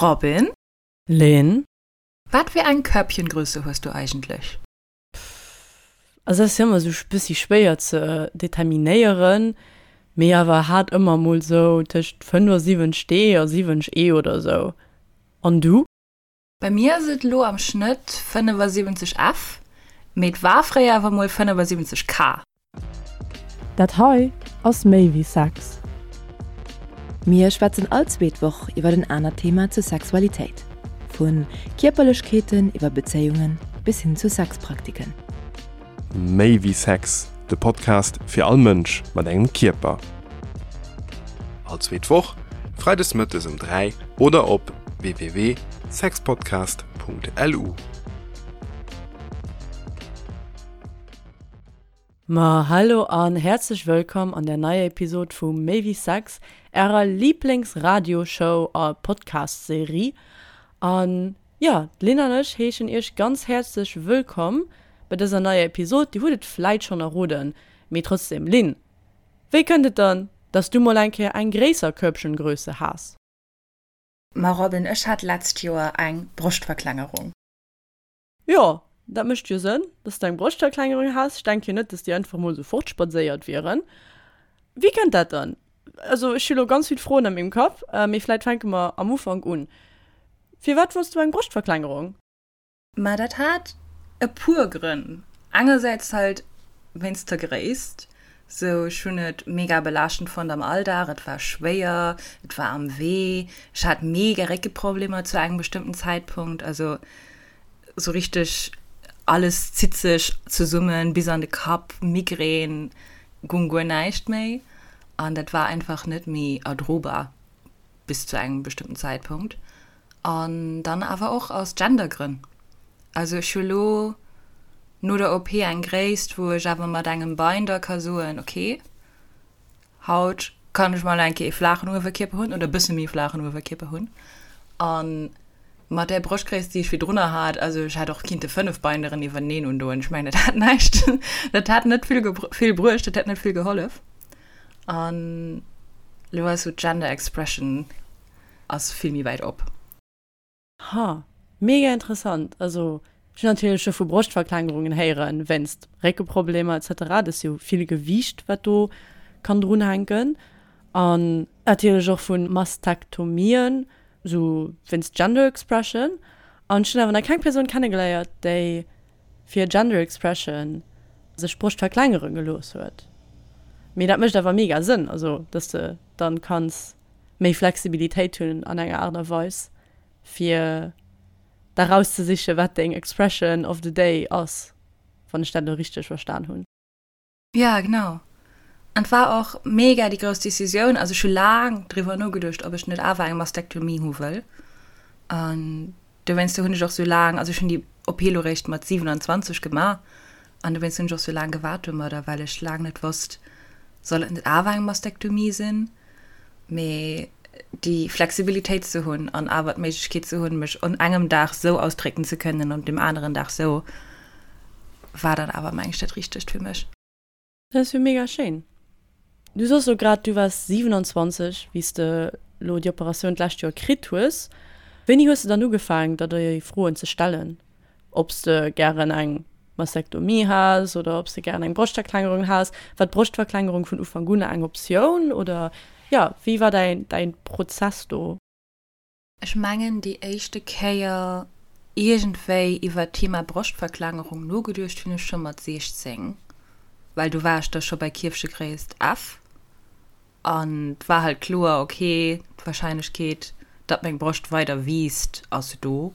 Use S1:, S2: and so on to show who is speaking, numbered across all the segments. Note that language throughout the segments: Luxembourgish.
S1: Robin?
S2: Lynn?
S1: Wat fir eng Körbchengröße hues du eigentlech?
S2: Also ass jo ëmmer sou bëssi schwéier ze determinéieren, mee awer hat ëmmer mol sou tëscht 75 D a 70 E oder sou. An du?
S1: Bei mir ass et elo am Schnëtt 75 F, mee et war fréier awer mol 75 K.
S2: Dat hei ass méi wéi Sex.
S3: Mir schwätzen all zweet Woch iwwer en anert Thema zur Sexualitéit. Vu Kierperlechkeeten iwwer Bezéiungen bis hin zu Sexpraktiken.
S4: Méi wéi Sex, de Podcast fir all Mënsch mat engem Kierper. All zweet Woch, freides mëttes um 3 oder op www.sexpodcast.lu.
S2: Ma hallo an häerzlech wëllkomm an der neier Episod vu Méi wéi Sex, ärer Lieblings-Radioshow a Podcast-Serie. An jo, d'Lynn an ech heeschen iech ganz häerzlech wëllkomm bei dëser neier Episod. Dir hutt et vläit schonn erroden, mee trotzdem, Lynn, wéi kënnt et dann, dass du mol eng Kéier eng gréisser Körbchengröße has?
S1: Ma Robin, ech hat letzt Joer eng Broschtverklengerung.
S2: Jo, dat mécht jo Sënn, dass de eng Broschtverklengerung has. Ech denken jo net, dass déi einfach mol sou fortspadséiert wieren. Wéi kënnt dat dann? Also ech hu lo ganz vill Froen a mengem Kapp, mee vläit fänke mer am Ufank un. Firwat wollts du eng Broschtverklengerung?
S1: Ma dat hat e puer Grënn. Engersäits halt wéinst der Gréisst. Sou ech hunn et mega belaaschtend fonnt am Alldag, et war schwéier, et war am Wee, ech hat mega Réckeproblemer zu engem bestëmmten Zäitpunkt. Also sou richteg alles zitt sech zesummen bis an de Kapp, Migrän, gung guer näischt méi an dat war einfach net méi erdrobar bis zu engem bestëmmten Zäitpunkt. An dann awer och aus Gendergrënn. Also ech hu lo no der OP eng Gréisst, wou ech awer mat engem Binder ka soen, ok, haut kann ech mol eng Kéier ee flaachen Uewerkierper hunn oder e bësse méi flaachen Uewerkierper hunn. A mat där Broschtgréisst, déi ech virdrunner hat, also ech hätt och kinnte 5 Binderen iwwerneen undoen, ech mengen dat hätt näischt, dat hätt net vill vill bruecht, dat hätt net vill gehollef. An lo ass sou d'Gender Expression ass vill méi wäit op.
S2: Ha, mega interessant. Also ech hunn natierlech scho vu Broschtverklengerungen héieren, wéinst Réckeproblemer etc. Dat ass jo vill Gewiicht wat do kann drunhänken. An natierlech och vu Mastektomien, sou wéinst Gender Expression. An ech hunn awer nach keng Persoun kennegeléiert, déi fir Gender Expression sech d'Broscht verklengere gelooss huet. Mee dat mécht awer mega Sënn, also dass de dann kanns méi Flexibilitéit hunn an enger Aart a Weis, fir da rauszesichen, wat deng Expression of the day ass, wann ech dat elo richteg verstan hunn.
S1: Ja, genau. An et war och mega déi grouss Decisioun. Also ech hu laang driwwer nogeduecht, ob ech net awer eng Mastektomie hu wëll. An dowéinster hunn ech och sou laang, also ech hunn déi OP elo réischt mat 27 gemaach, an dowéinst hunn ech och sou laang gewaart domadder, well ech laang net wosst, soll et net awer eng Mastektomie sinn? Mee déi Flexibilitéit ze hunn an awer d'Méiglechkeet ze hunn, mech un engem Dag sou ausdrécken ze kënnen an dem aneren Dag sou, war dann awer, meng ech, dat Richtegt fir mech.
S2: Dat ass jo mega schéin. Du soss lo grad, du waars 27, wéi s de lo déi Operatioun d'lescht Joer kritt hues. Wéini hues de dann ugefaangen, der déi Froen ze stellen, ob s de gären eng Mastektomie has oder ob s de gären eng Broschtverklengerung has? War d'Broschtverklengerung vun Ufank un eng Optioun oder jo, wéi war däin däin Prozess do?
S1: Ech mengen déi éischte Kéier iergendwéi iwwer d'Thema Broschtverklengerung nogeduecht hunn ech scho mat 16, well do war ech da scho bei Kierfchegréisst F an 't war halt kloer, ok, d'Warscheinlechkeet, datt meng Broscht weider wiisst, ass do.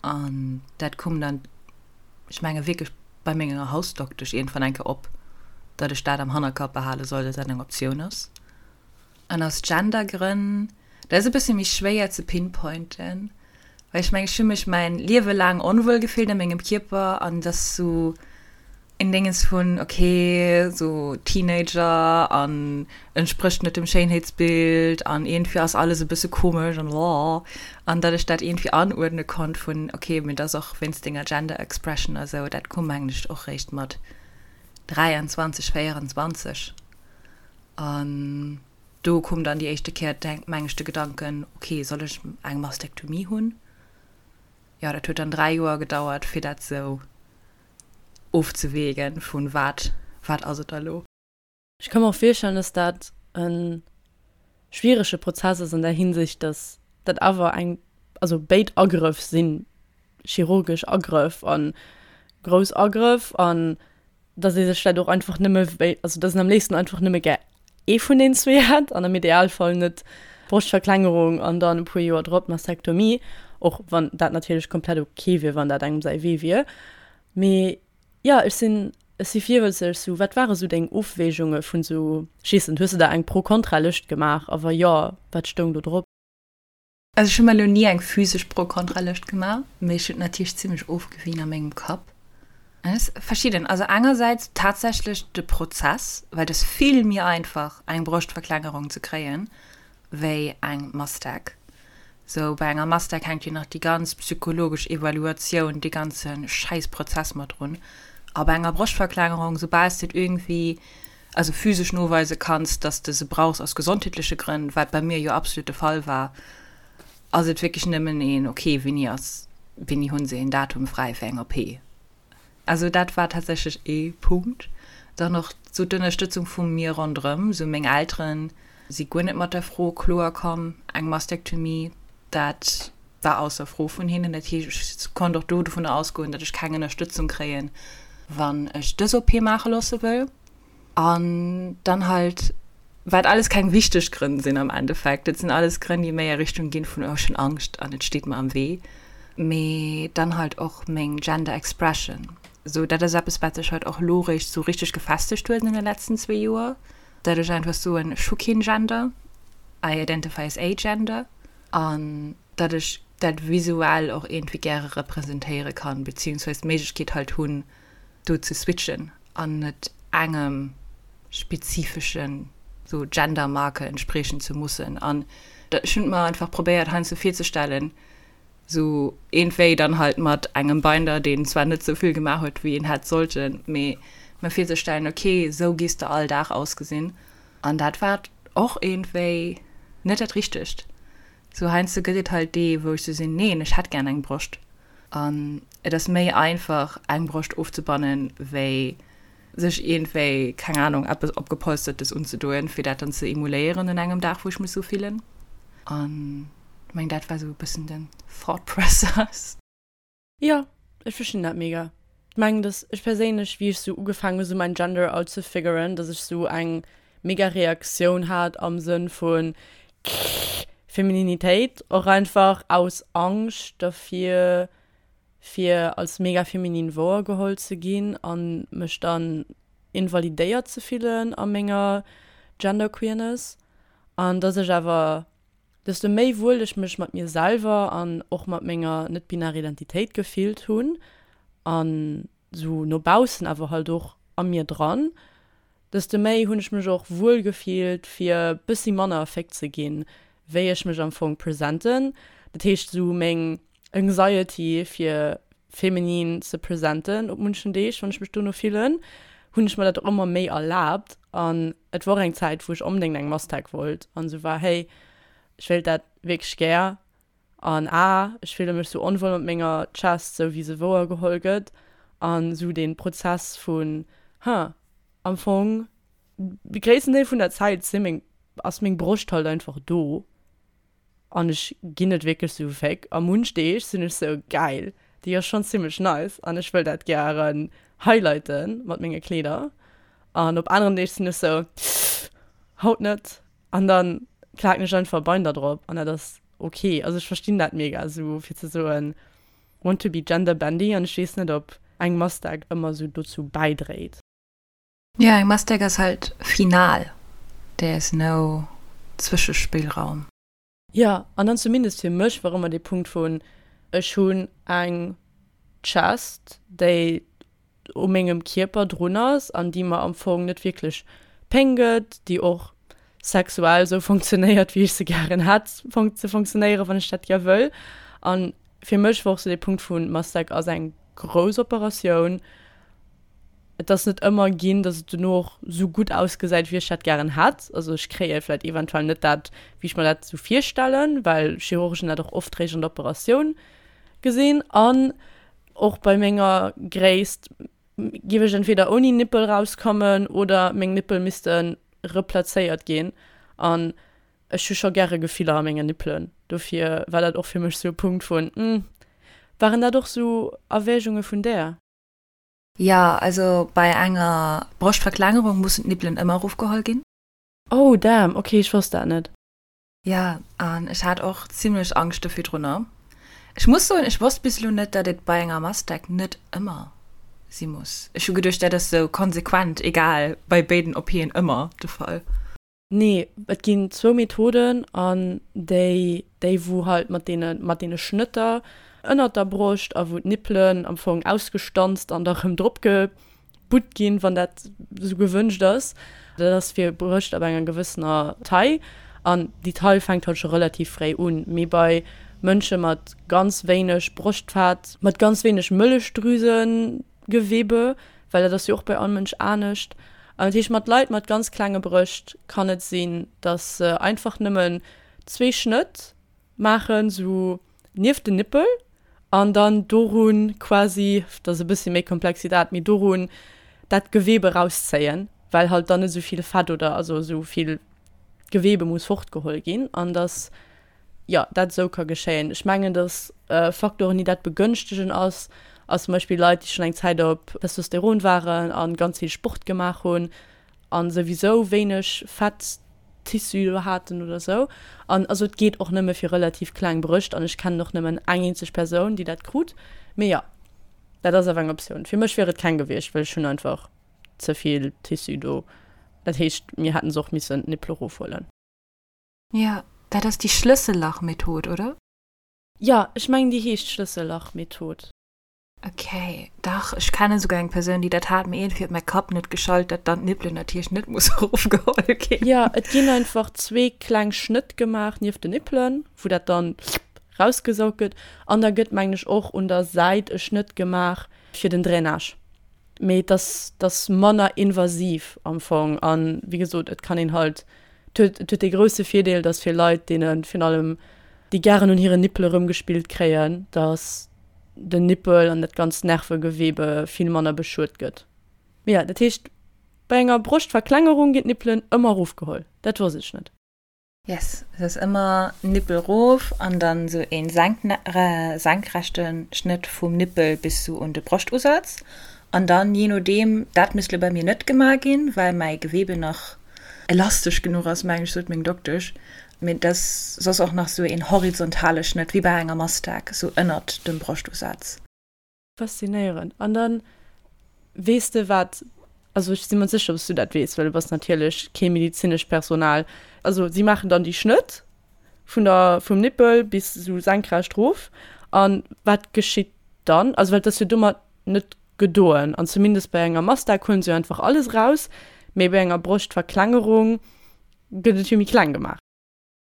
S1: An dat koum dann, ech menge wierklech bei menger Hausdoktesch iergendwann eng Kéier op, datt ech dat am Hannerkapp behale soll, datt dat eng Optioun ass. An aus Gendergrënn, dat ass e bësse méi schwéier ze pinpointen, well ech mengen, ech hu mech mäin Liewe laang onwuel gefillt a mengem Kierper an et ass sou en Déngens vun, ok, sou Teenager an entsprécht net dem Schéinheetsbild an iergendwéi ass alles e bësse komesch an blah an datt ech dat iergendwéi anuerdne konnt vun, ok, mee et ass och wéinst denger Gender Expression a sou, dat koum mengen ech och réischt mat 23, 24 an. Do koum dann déi éischte Kéier, meng ech, de Gedanken, ok, soll ech eng Mastektomie hunn? Jo, dat huet dann 3 Joer gedauert, fir dat sou ofzewegen, vun wat, wat ass et da lo?
S2: Ech ka mer och virstellen, dass dat e schwierege Prozess ass an där Hinsicht, dass dat awer eng, also béid Agrëff si chirurgesch Agrëff a grouss Agrëff an dass ee sech vläicht och einfach nëmme wéi, also dass een am léifsten einfach nëmme gär ee vun den zwee hätt an am Idealfall net Broschtverklengerung an dann e puer Joer drop d'Mastektomie, och wann dat natierlech komplett ok wier, wann dat engem säi Wee wier. Mee jo, ech sinn, ech si virwëtzeg. Sou, wat ware sou deng Ofwägunge vun sou, ech weess net, hues de der eng Pro-Kontra-Lëscht gemaach a wa jo, wat stoung do drop?
S1: Also ech hu mer elo ni eng physesch Pro-Kontra-Lëscht gemaach, mee ech hunn et natierlech zimmlech ofgewien a mengem Kapp. Et ass verschidden. Also engersäits tatsächlech de Prozess, well et ass vill méi einfach eng Broschtverklengerung ze kréien, wéi eng Mastec. Sou bei enger Mastec hänkt jo nach déi ganz psychologesch Evaluatioun, dee ganze Schäissprozess mat drun. A bei enger Broschtverklengerung, soubal s de et iergendwéi also physesch noweise kanns, dass de se brauchs aus gesondheetleche Grënn, wat bei mir jo absolut de Fall war, ass et wierklech nëmmen een, ok, wéini ass, wéini hunn se een Datum fräi fir eng OP? Also dat war tatsächlech ee Punkt. Dann och sou d'Ënnerstëtzung vu mir ronderëm, sou meng Elteren si guer net mat der Fro kloer komm, eng Mastektomie, dat war ausser Fro vun hinnen. Dat heescht, ech konnt och do dovunner ausgoen, datt ech keng Ënnerstëtzung kréien, wann ech dës OP maache loosse wëll. An dann halt, wat alles keng wichteg Grënn sinn am Endeffekt, dat sinn alles Grënn, déi méi a Richtung ginn vun, oh ech hunn Angscht an et steet mer am Wee, mee dann halt och meng Gender Expression. Sou, dat ass eppes, wat sech halt och elo réischt sou richteg gefestegt huet an deene letzten zwee Joer, dat ech einfach soen, ech hu keen Gender, I identify as agender, an datt ech dat visuell och iergendwéi gäre representéiere kann, beziehungsweise d'Méiglechkeet halt hunn, do ze switchen an net engem spezifeschen sou Gender-Marker entspriechen ze mussen. An ech hunn et mer einfach probéiert heiansdo virzestellen, sou iergendwéi dann halt mat engem Binder, deen zwar net sou vill gemaach huet wéi en hätt sollten, mee mer virzestellen, ok, sou gees de all Dag ausgesinn. An dat war och iergendwéi net dat Richtegt. Sou heiansdo gëtt et halt dee wou ech sou sinn, neen, ech hätt gär eng Broscht. An et ass méi einfach eng Broscht ofzebannen, wéi sech iergendwéi, keng Ahnung, eppes opgepolstertes unzedoen, fir dat dann ze emuléieren un engem Dag wou ech mech sou fillen. An ech mengen dat war sou e bëssen den Thought Process.
S2: Jo, ech verstinn dat mega. Ech mengen dass ech perséinlech wéi ech sou ugefaangen hu sou mäin Gender out ze figuren, dass ech sou eng mega Reaktioun hat am Sënn vun Femininitéit, och einfach aus Angscht dervir fir als mega feminin wouer geholl ze ginn an mech dann invalidéiert ze fillen a menger Genderqueerness an dass ech awer desto méi wuel ech mech mat mir selwer an och mat menger net-binärer Identitéit gefillt hunn an sou no baussen awer halt och a mir dran, desto méi hunn ech mech och wuel gefillt fir bëssi manner Féck ze ginn, wéi ech mech am Fong presenten. Dat heescht sou meng Anxiety fir feminin ze presenten op munchen Deeg, wann ech mech dono fillen, hunn ech mer dat och ëmmer méi erlaabt. An et wor eng Zäit, wou ech onbedéngt eng Mastec wollt an esou war, hey, ech wéilt dat wierklech gär an ah, ech fille mech sou onwuel mat menger Chest, sou wéi se wouer geholl gëtt an esou dee Prozess vun, huh, am Fong de gréissten Deel vun der Zäit si meng, ass meng Broscht halt einfach do. An ech ginn net wierklech sou Féck. A munch Deeg sinn ech sou, geil, déi ass schonn zimmlech nice an ech wëll dat gären highlighten mat menge Kleeder. An op aneren Deeg sinn ech sou, haut net. An dann klaken ech einfach e Binder drop an dat ass ok. Also ech verstinn dat mega sou fir ze soen, want to be gender bendy an ech weess net ob eng Mastec ëmmer sou dozou bäidréit.
S1: Jo, eng Mastec ass halt final, there is no Zwëschespillraum.
S2: Jo, an dann zumindest fir mech war ëmmer dee Punkt vun, ech hunn eng Chest, déi u mengem Kierper drun ass an déi mer am Fong net wierklech Péng gëtt, déi och sexuell esou funktionéiert, wéi ech se gären hätt ze funktionéieren, wann ech dat gär wëll. An fir mech war och sou dee Punkt vun, Mastec ass eng grouss Operatioun. Et ass net ëmmer ginn, dass et dono och sou gutt ausgesäit, wéi ech dat gären hätt. Also ech kréie vläit eventuell net dat, wéi ech mer dat sou virstellen, well Chirurgen dat och oft réischt an der Operatioun gesinn. An och bei menger Gréisst géif ech entweder ouni Nippel rauskommen oder meng Nippel misste replazéiert ginn. An Ech hu scho gäre Gefiller a mengen Nippelen, dofir war dat och fir mech sou e Punkt vun hm. Waren dat och sou Erwägunge vun där?
S1: Jo, also bei enger Broschtverklengerung mussen d'Nippelen ëmmer erofgeholl ginn.
S2: Oh damn, ok, ech wosst dat net.
S1: Jo, an ech hat och zimlech Angscht do virdrunner. Ech muss soen, ech wosst bis elo net, datt et bei enger Mastec net ëmmer si muss. Ech hu geduecht, dat ass sou konsequent, egal, bei béiden OPen ëmmer de Fall.
S2: Nee, et ginn zwou Methoden an déi, déi wou halt mat deene, mat deene Schnëtter ënnert der Broscht a wou d'Nippelen am Fong ausgestanzt an da rëm drop gebutt ginn, wann dat esou gewënscht ass. Dat ass fir Brëscht ab enger gewëssener Taille an déi Taille fänkt halt scho relativ fréi un. Mee bei Mënsche mat ganz wéineg Broschtfett, mat ganz wéineg Mëllechdrüsen, Gewebe, well dat ass jo och bei all Mënsch anescht. An dat heescht, mat Leit mat ganz klenge Brëscht kann et sinn, dass se einfach nëmmen zwee Schnëtt maachen, sou nieft den Nippel, an dann dorun quasi, dat ass e bëssi méi komplex wéi dat, mee dorun dat Gewebe rauszéien, well halt dann net esou vill Fett oder also esou vill Gewebe muss fortgeholl ginn an dass jo, dat esou ka geschéien. Ech mengen, dass Faktoren, déi dat begënschtegen, ass, ass zum Beispill Leit, déi schonn eng Zäit op Testosteron waren a ganz vill Sport gemaach hunn a souwisou wéineg Fetttissu do haten oder esou. An also et geet och nëmme fir relativ kleng Brëscht an ech kennen och nëmmen eng eenzeg Persoun, déi dat krut. Mee jo, dat ass awer eng Optioun. Fir mech wier et keng gewiescht, well ech hunn einfach ze vill Tissu do. Dat heescht, mir hätten se och missen d'Nippel erofhuelen.
S1: Jo, dat ass déi Schlëssellach-Method, oder?
S2: Jo, ech mengen déi heescht Schlëssellach-Method.
S1: Ok, dach, ech kennen souguer eng Persoun, déi dat hat, mee iergendwéi huet mäi Kapp net geschalt, dat dann d'Nippelen natierlech net muss erofgeholl ginn.
S2: Jo, et ginn einfach zwee kleng Schnëtt gemaach nieft den Nippelen, wou dat dann rausgesaugt gëtt, an da gëtt, mengen ech, och un der Säit e Schnëtt gemaach fir den Drainage. Mee et ass, et ass manner invasiv am Fong an, wéi gesot, et kann een halt, et huet, et huet dee grousse Virdeel, datt fir Leit, deene virun allem, déi gären un hiren Nippele rëmgespillt kréien, datt den Nippel an dat ganzt Nervegewebe vill manner beschuet gëtt. Mee jo, dat heescht, bei enger Broschtverklengerung ginn d'Nippelen ëmmer erofgeholl. Dat wosst ech net.
S1: Yes, et ass ëmmer Nippel rof an dann sou een senkrechten Schnëtt vum Nippel bis sou un de Broschtusatz an dann je nodeem, dat misst lo bei mir net gemaach ginn, well mäi Gewebe nach elastesch genuch ass mengen ech, sot meng Doktesch, mee et ass soss och nach sou een horizontale Schnëtt wéi bei enger Mastag sou ënnert dem Broschtusatz.
S2: Faszinéierend. An dann weess de wat, also ech si mer sécher, dass du dat weess, well du bass natierlech kee medezinescht Personal. Also si maachen dann déi Schnëtt vun der, vum Nippel bis esou senkrecht rof. An wat geschitt dann? Also well et ass jo domat net gedoen. An zumindest bei enger Mastag huelen se jo einfach alles eraus, mee bei enger Broschtverklengerung gëtt et jo méi kleng gemaach.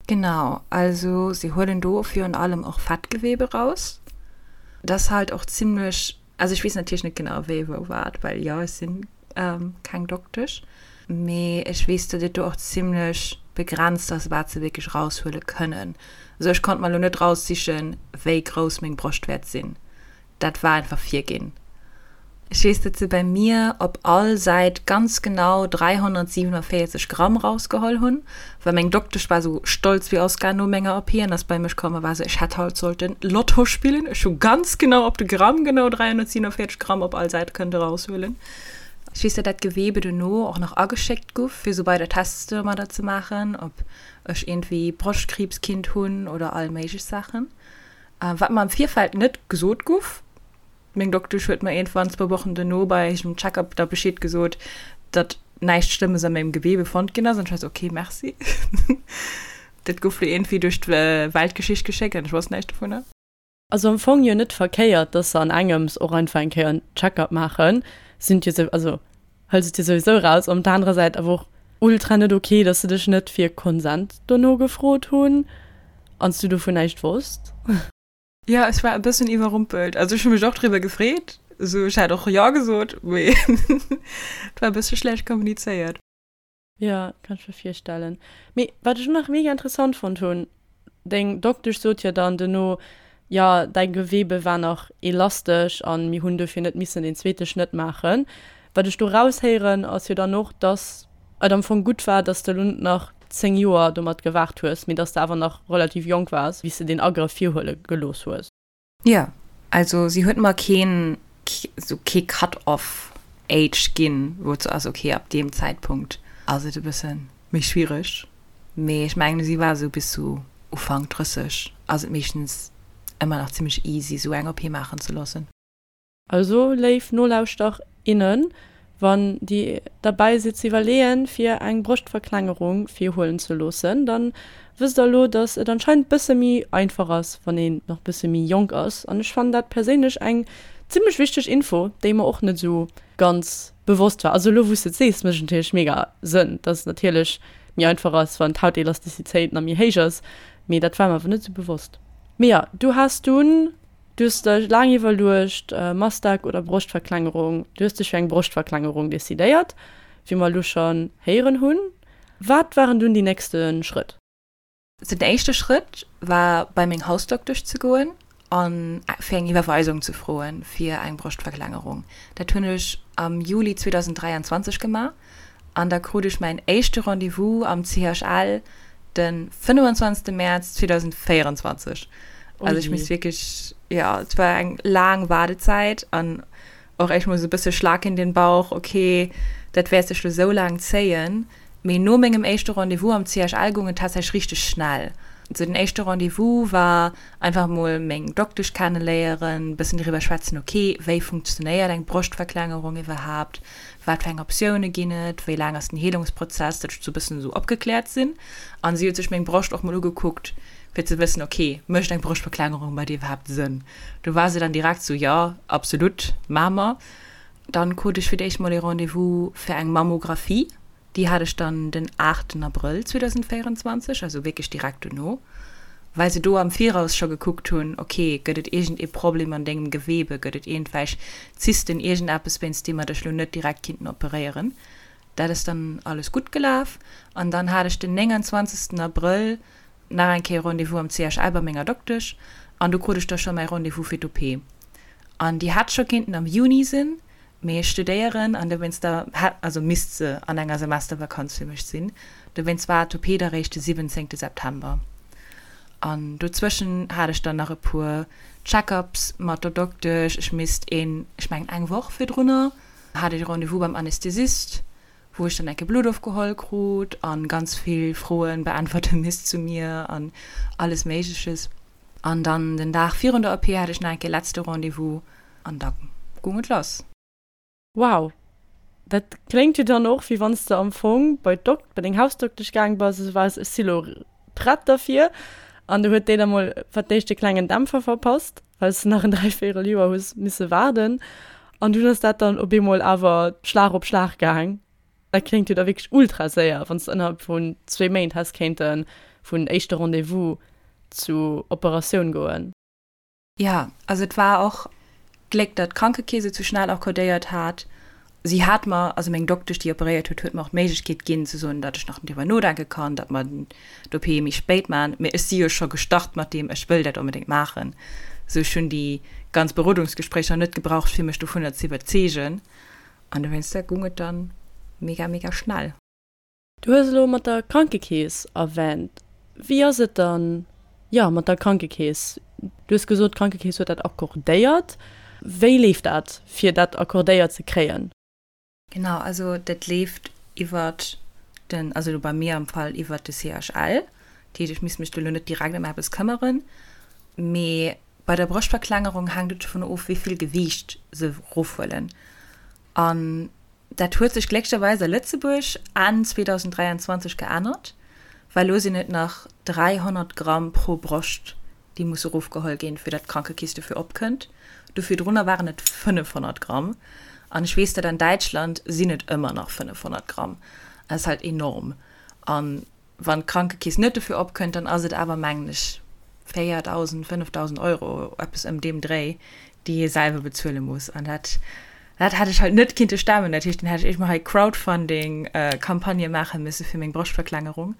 S1: Genau, also se huelen do virun allem och Fettgewebe raus. Dat ass halt och zimlech, also ech weess natierlech net genau wéi wou wat, well jo ech sinn keng Doktesch, mee ech weess datt et do och zimlech begrenzt ass wat se wierklech raushuele kënnen. Also ech konnt mer elo net raussichen wéi grouss meng Broscht wäert sinn. Dat war einfach virginn. Ech weess, datt se bei mir op all Säit ganz genau 347 Gramm rausgeholl hunn, well meng Doktesch war sou stolz wéi Oscar no menger OP an ass bei mech komm a war sou, ech hätt haut sollten Lotto spillen, ech hu ganz genau op de Gramm genau 347 Gramm op all Säit kënnte raushuelen. Ech weess, datt dat Gewebe dono och nach ageschéckt guff, fir sou weider Tests domadder ze maachen, ob ech iergendwéi Broschtkriibs kinnt hunn oder all méiglech Saachen. Wat mer am Virfeld net gesot guff. Meng Doktesch huet mer iergendwann zwou Wochen dono bei engem Check-up da Bescheed gesot, datt näischt Schlëmmes a mengem Gewebe fonnt ginn ass. An ech war sou, ok, merci. Dat gouf lo iergendwéi duerch d'Weltgeschicht geschéckt an ech wosst näischt dovunner.
S2: Also am Fong jo net verkéiert, dass se an engems och einfach eng Kéier en Check-up maachen. Sinn jo sou, also hëls et jo souwisou raus. Op der anerer Säit awer och ultra net ok, dass se dech net fir Consent dono gefrot hunn an s du dovun näischt wosst.
S1: Jo, ech war e bëssen iwwerrumpelt. Also ech hu mech och driwwer gefreet. Esou, ech hätt och jo gesot, mee et war e bësse schlecht kommunizéiert.
S2: Jo, kann ech mir virstellen. Mee wat ech och nach mega interessant fonnt hunn, deng Doktesch sot jo dann duerno, jo däi Gewebe war nach elastesch an mir hunn dofir net missen deen zweete Schnëtt maachen. Wat ech do raushéieren ass jo dann och, dass et am Fong gutt war, dass de lo net nach 10 Joer domat gewaart hues, mee dass de awer nach relativ jonk waars, wéi s de deen Agrëff virhuele gelooss hues.
S1: Jo, also si huet mer keen, sou kee Cut-off age ginn, wou et sou ass, ok, ab deem Zäitpunkt ass et e bësse méi schwiereg. Mee ech mengen, si war sou bis sou Ufank 30 ass et meeschtens ëmmer nach zimmlech easy, sou eng OP maachen ze loossen.
S2: Also léif Nolauschter, innen, wann dir derbäi sidd ze iwwerleeën fir eng Broschtverklengerung virhuelen ze loossen, dann wësst der elo dass et anscheinend bësse méi einfach ass wann een nach bësse méi jonk ass. An ech fannen dat perséinlech eng zimlech wichteg Info, déi mer och net esou ganz bewosst war. Also elo wous de et sees mécht et natierlech mega Sënn, dass et natierlech méi einfach ass wann d'Hautelasticitéit nach méi héich ass, mee dat war mer awer net esou bewosst. Mee jo, du has dunn Du hues dech laang iwwerluecht, Mastec oder Broschtverklengerung. Du hues dech fir eng Broschtverklengerung decidéiert, wéi mer elo schonn héieren hunn. Wat waren dunn déi nächste Schrëtt?
S1: Den éischte Schrëtt war bei meng Hausdoktesch ze goen a fir eng Iwwerweisung ze froen fir eng Broschtverklengerung. Dat hunn ech am Juli 2023 gemaach. An da krut ech mäin éischte Rendez-vous am CHL de 25. Mäerz 2024. Also ech misst wierklech, jo, et war eng laang Waardezäit an och echt mol sou e bësse Schlag in den Bauch, okay, dat wäert sech lo sou laang zéien. Mee no mengem éischte Rendez-vous am CHL goung et tatsächlech richteg schnell. Sou den éischte Rendez-vous war einfach mol meng Doktesch kenneléieren, bëssen driwwer schwätzen, okay, wéi funktionéiert eng Broschtverklengerung iwwerhaapt, wat fir eng Optioune ginn et, wéi laang ass den Heelungsprozess, datt ech sou e bëssen esou opgekläert sinn. An si huet sech meng Broscht och mol ugekuckt, fir ze wëssen, ok, mécht eng Broschtverklengerung bei dir iwwerhaapt Sënn? Do war se dann direkt sou, jo, absolut, maache mer. Dann krut ech fir d'éischt mol ee Rendez-vous fir eng Mammographie. Déi hat ech dann den 8 Abrëll 2024, also wierklech direkt dono, well se do am Viraus scho gekuckt hunn, ok, gëtt et iergend ee Problem an dengem Gewebe, gëtt et iergendwelch Zysten, iergendeppes, wéinst deem mer dech lo net direkt kinnten operéieren. Dat ass dann alles gutt gelaf an dann hat ech den 29 Abrëll nach eng Kéier Rendez-vous am CHL bei menger Doktesch an do krut ech da scho mäi Rendez-vous fir d'OP. An déi hätt scho kinnten am Juni sinn, Mee ech studéieren an dowéinst da hätt, also misst se an enger Semestervakanz fir mech sinn. Dowéinst war d'OP da réischt de 17 September. An dozwëschen hat ech dann nach e puer Check-ups mat der Doktesch. Ech misst een, ech mengen eng Woch virdrunner hat ech e Rendez-vous beim Anästhesist, wou ech dann enke Blutt ofgeholl krut an ganz vill Froen beäntwerte misst zu mir an alles Méigleches. An dann den Dag virun der OP hat ech nach enke letzte Rendez-vous an da goung et lass.
S2: Wow, dat kléngt jo dann och wéi wann s de am Fong bei d'Dokt, bei deng Hausdoktesch gaang bass a sou waars, ech si lo prett derfir. An du huet déi da mol fir d'éischt e klengen Dämpfer verpasst, well s de nach en dräivéierel Joer hues misse waarden. An dunn ass dat dann op eemol awer Schlag op Schlag gaang. Dat kléngt jo da wierklech ultra séier, wann s de ënnerhalb vun zwee Méint häss kéinte vun éischte Rendez-vous zu Operatioun goen.
S1: Jo, also et war och Gléck, datt d'Krankekeess et sou schnell accordéiert hat. Si hat mer, also meng Doktesch, déi operéiert huet, huet mer och d'Méiglechkeet ginn ze soen, datt ech nach driwwer nodenke kann, datt mer d'OP méi spéit maachen. Mee ech si jo scho gestart mat deem, ech wëll dat onbedéngt maachen. Sou ech hunn déi ganz Berodungsgespréicher net gebraucht, fir mech dovunner ze iwwerzeegen. An dowéinster goung et dann mega, mega schnell.
S2: Du hues elo mat der Krankekeess erwänt. Wéi ass et dann, jo, mat der Krankekeess? Du hues gesot, d'Krankekeess huet dat accordéiert. Wéi leeft dat, fir dat accordéiert ze kréien?
S1: Genau, also dat leeft iwwert den, also elo bei mir am Fall iwwert de CHL. Dat heescht, ech misst mech do elo net direkt ëm eppes këmmeren. Mee bei der Broschtverklengerung hänkt et dovun of, wéi vill Gewiicht se erofhuelen. An Dat huet sech glécklecherweis a Lëtzebuerg Enn 2023 geännert, well elo sinn et nach 300 Gramm pro Broscht, déi musse erofgeholl ginn, fir datt d'Krankekeess dofir opkënnt. Do virdrunner waren et 500 Gramm. An ech weess, datt an Däitschland sinn et ëmmer nach 500 Gramm. Dat ass halt enorm. An wann d'Krankekeess net dofir opkënnt, dann ass et awer, mengen ech, 4.000, 5.000 Euro, eppes ëm deem Dréi, déi ee selwer bezuele muss. An dat, dat hätt ech halt net kinnte stemmen. Dat heescht, dann hätt ech éischt mol hei Crowdfunding-Campagnë maache misse fir meng Broschtverklengerung.